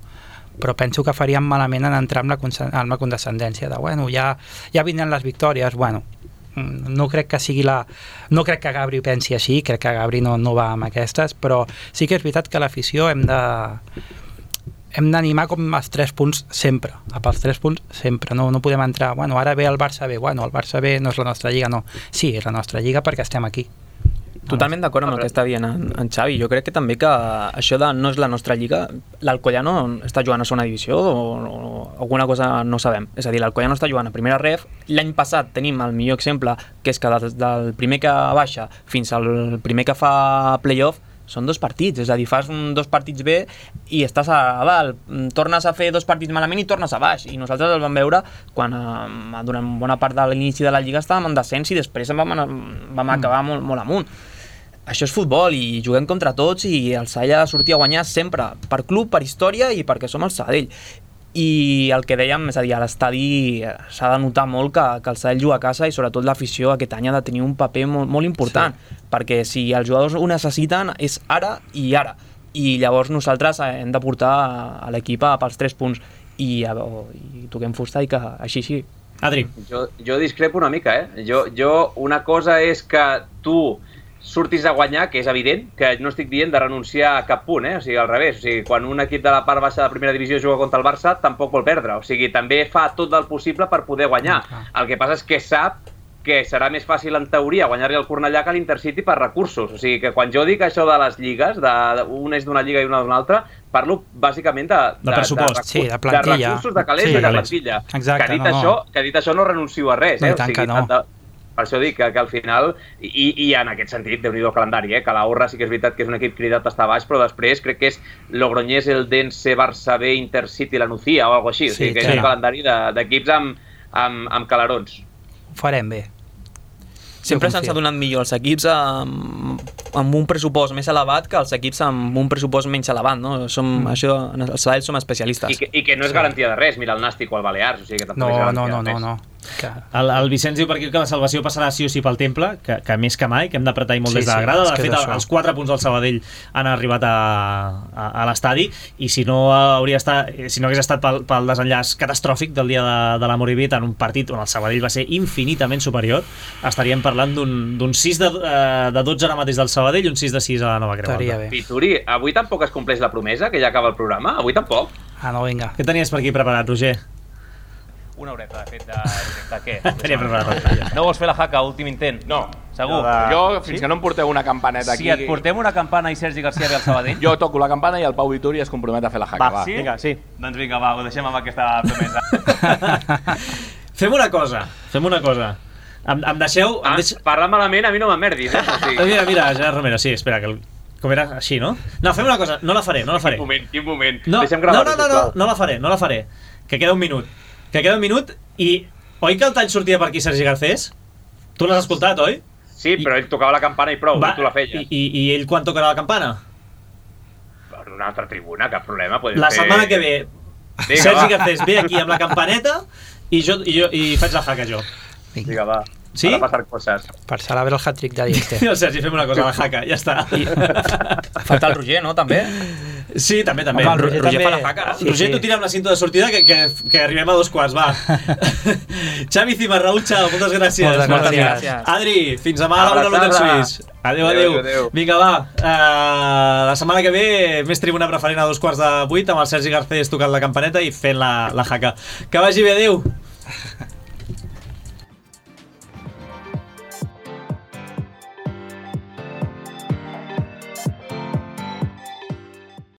però penso que faríem malament en entrar amb la, amb la condescendència de, bueno, ja, ja vindran les victòries, bueno, no crec que sigui la... No crec que Gabri pensi així, crec que Gabri no, no va amb aquestes, però sí que és veritat que l'afició hem de... hem d'animar com els tres punts sempre, a pels tres punts sempre, no, no podem entrar, bueno, ara ve el Barça B, bueno, el Barça B no és la nostra lliga, no, sí, és la nostra lliga perquè estem aquí. Totalment d'acord amb el que està dient en, en Xavi. Jo crec que també que això de no és la nostra lliga, l'Alcoyano està jugant a segona divisió o, o alguna cosa no sabem. És a dir, l'Alcoyano està jugant a primera ref. L'any passat tenim el millor exemple, que és que des del primer que baixa fins al primer que fa playoff són dos partits, és a dir, fas un, dos partits bé i estàs a dalt, tornes a fer dos partits malament i tornes a baix, i nosaltres el vam veure quan eh, durant bona part de l'inici de la Lliga estàvem en descens i després vam, anar, vam acabar molt, molt amunt. Això és futbol i juguem contra tots i el Sabadell ha de sortir a guanyar sempre, per club, per història i perquè som el Sabadell. I el que dèiem, és a dir, a l'estadi s'ha de notar molt que, que el Sabadell juga a casa i sobretot l'afició aquest any ha de tenir un paper molt, molt important, sí. Perquè si els jugadors ho necessiten és ara i ara, i llavors nosaltres hem de portar a l'equip pels tres punts i, a, i toquem fusta i que així així. Adri. Jo, jo discrepo una mica, eh? Jo, jo una cosa és que tu surtis a guanyar, que és evident, que no estic dient de renunciar a cap punt, eh? O sigui, al revés. O sigui, quan un equip de la part baixa de la primera divisió juga contra el Barça, tampoc vol perdre. O sigui, també fa tot el possible per poder guanyar. El que passa és que sap que serà més fàcil, en teoria, guanyar-li al Cornellà que a l'Intercity per recursos. O sigui, que quan jo dic això de les lligues, de, de, un és d'una lliga i una d'una altra, parlo bàsicament de, de, de pressupost, de, sí, de de plantilla. recursos, de calés Sí, i de calés. plantilla. Exacte, que, dit no, no. això, que dit això no renuncio a res. No, Eh? i tant o sigui, que no. de, per això dic que, que al final, i, i en aquest sentit, Déu-n'hi-do el calendari, eh? Que la Urra sí que és veritat que és un equip cridat a estar baix, però després crec que és Logroñés, Eldense, Barça B, Intercity, la Nucía o alguna cosa així. O sigui, Sí, que sí. és un calendari de- d'equips amb, amb, amb calarons. Ho farem bé. Sempre Jo se'ns confio. ha donat millor els equips amb, amb un pressupost més elevat que els equips amb un pressupost menys elevat, no? Som, mm. Això, en el Sabadell som especialistes. I que, I que no és garantia de res, mira el Nàstic o el Balears, o sigui que tampoc No, és garantia no, no, de no, res. no. Que... El, el Vicenç diu per aquí que la salvació passarà sí o sí pel Temple, que, que més que mai, que hem d'apretar i molt Sí, des de la sí, grada. és De que és fet, això. els quatre punts del Sabadell han arribat a, a, a l'estadi i si no hauria estat, si no hagués estat pel, pel desenllaç catastròfic del dia de, de la Moribit en un partit on el Sabadell va ser infinitament superior, estaríem parlant d'un sis de, eh, de dotze ara mateix del Sabadell i un sis de sis a la Nova Creu Estaria Alta. bé. Pituri, avui tampoc es compleix la promesa, que ja acaba el programa? Avui tampoc? Ah, no, vinga. Què tenies per aquí preparat, Roger? Una horeta, de fet, de, de què? Tenia preparat. No vols fer la jaca, últim intent? No. Segur? De... Jo, fins sí? que no em porteu una campaneta Si aquí... et portem una campana i Sergi García ve al Sabadell? Jo toco la campana i el Pau Vituri es compromet a fer la jaca. Va, Va, sí? Vinga, sí. Doncs vinga, va, ho deixem amb aquesta promesa. Fem una cosa, fem una cosa. Em, em deixeu... Ah, em deix... Parlar malament a mi no m'emmerdis, eh? O sigui, Mira, mira, Gerard Romero, sí, espera, que el... com era així, no? No, fem una cosa, no la faré, no la faré. quin moment, quin moment. No, Deixem no, gravar, no, no, no, no la faré, no la faré. Que queda un minut. Que queda un minut i... Oi que el tall sortia per aquí, Sergi Garcés? Tu l'has escoltat, oi? Sí, però ell tocava la campana i prou, Va, i tu la feies. I, i, I ell quan tocarà la campana? En una altra tribuna, cap problema. La fer... setmana que ve, Vinga, Sergi va. Garcés ve aquí amb la campaneta i jo, i jo i faig la jaca jo. Vinga, va. Sí? Ara passar coses. Per celebrar el hat-trick de Dieste. I el Sergi, fem una cosa, la jaca, ja està. I... Falta el Roger, no, també? Sí, també, també. Home, el Roger, Roger també... fa la jaca. Sí, Roger, sí. Tu tira amb la cinta de sortida que, que, que arribem a dos quarts, va. Xavi Cimarraúl, xau, moltes gràcies. Moltes gràcies. Adri, fins demà a la una l'Hotel Suís. Adéu, adéu, adéu. Vinga, va. Uh, la setmana que ve, més tribuna preferent a dos quarts de vuit, amb el Sergi Garcés tocant la campaneta i fent la, la jaca. Que vagi bé, adéu.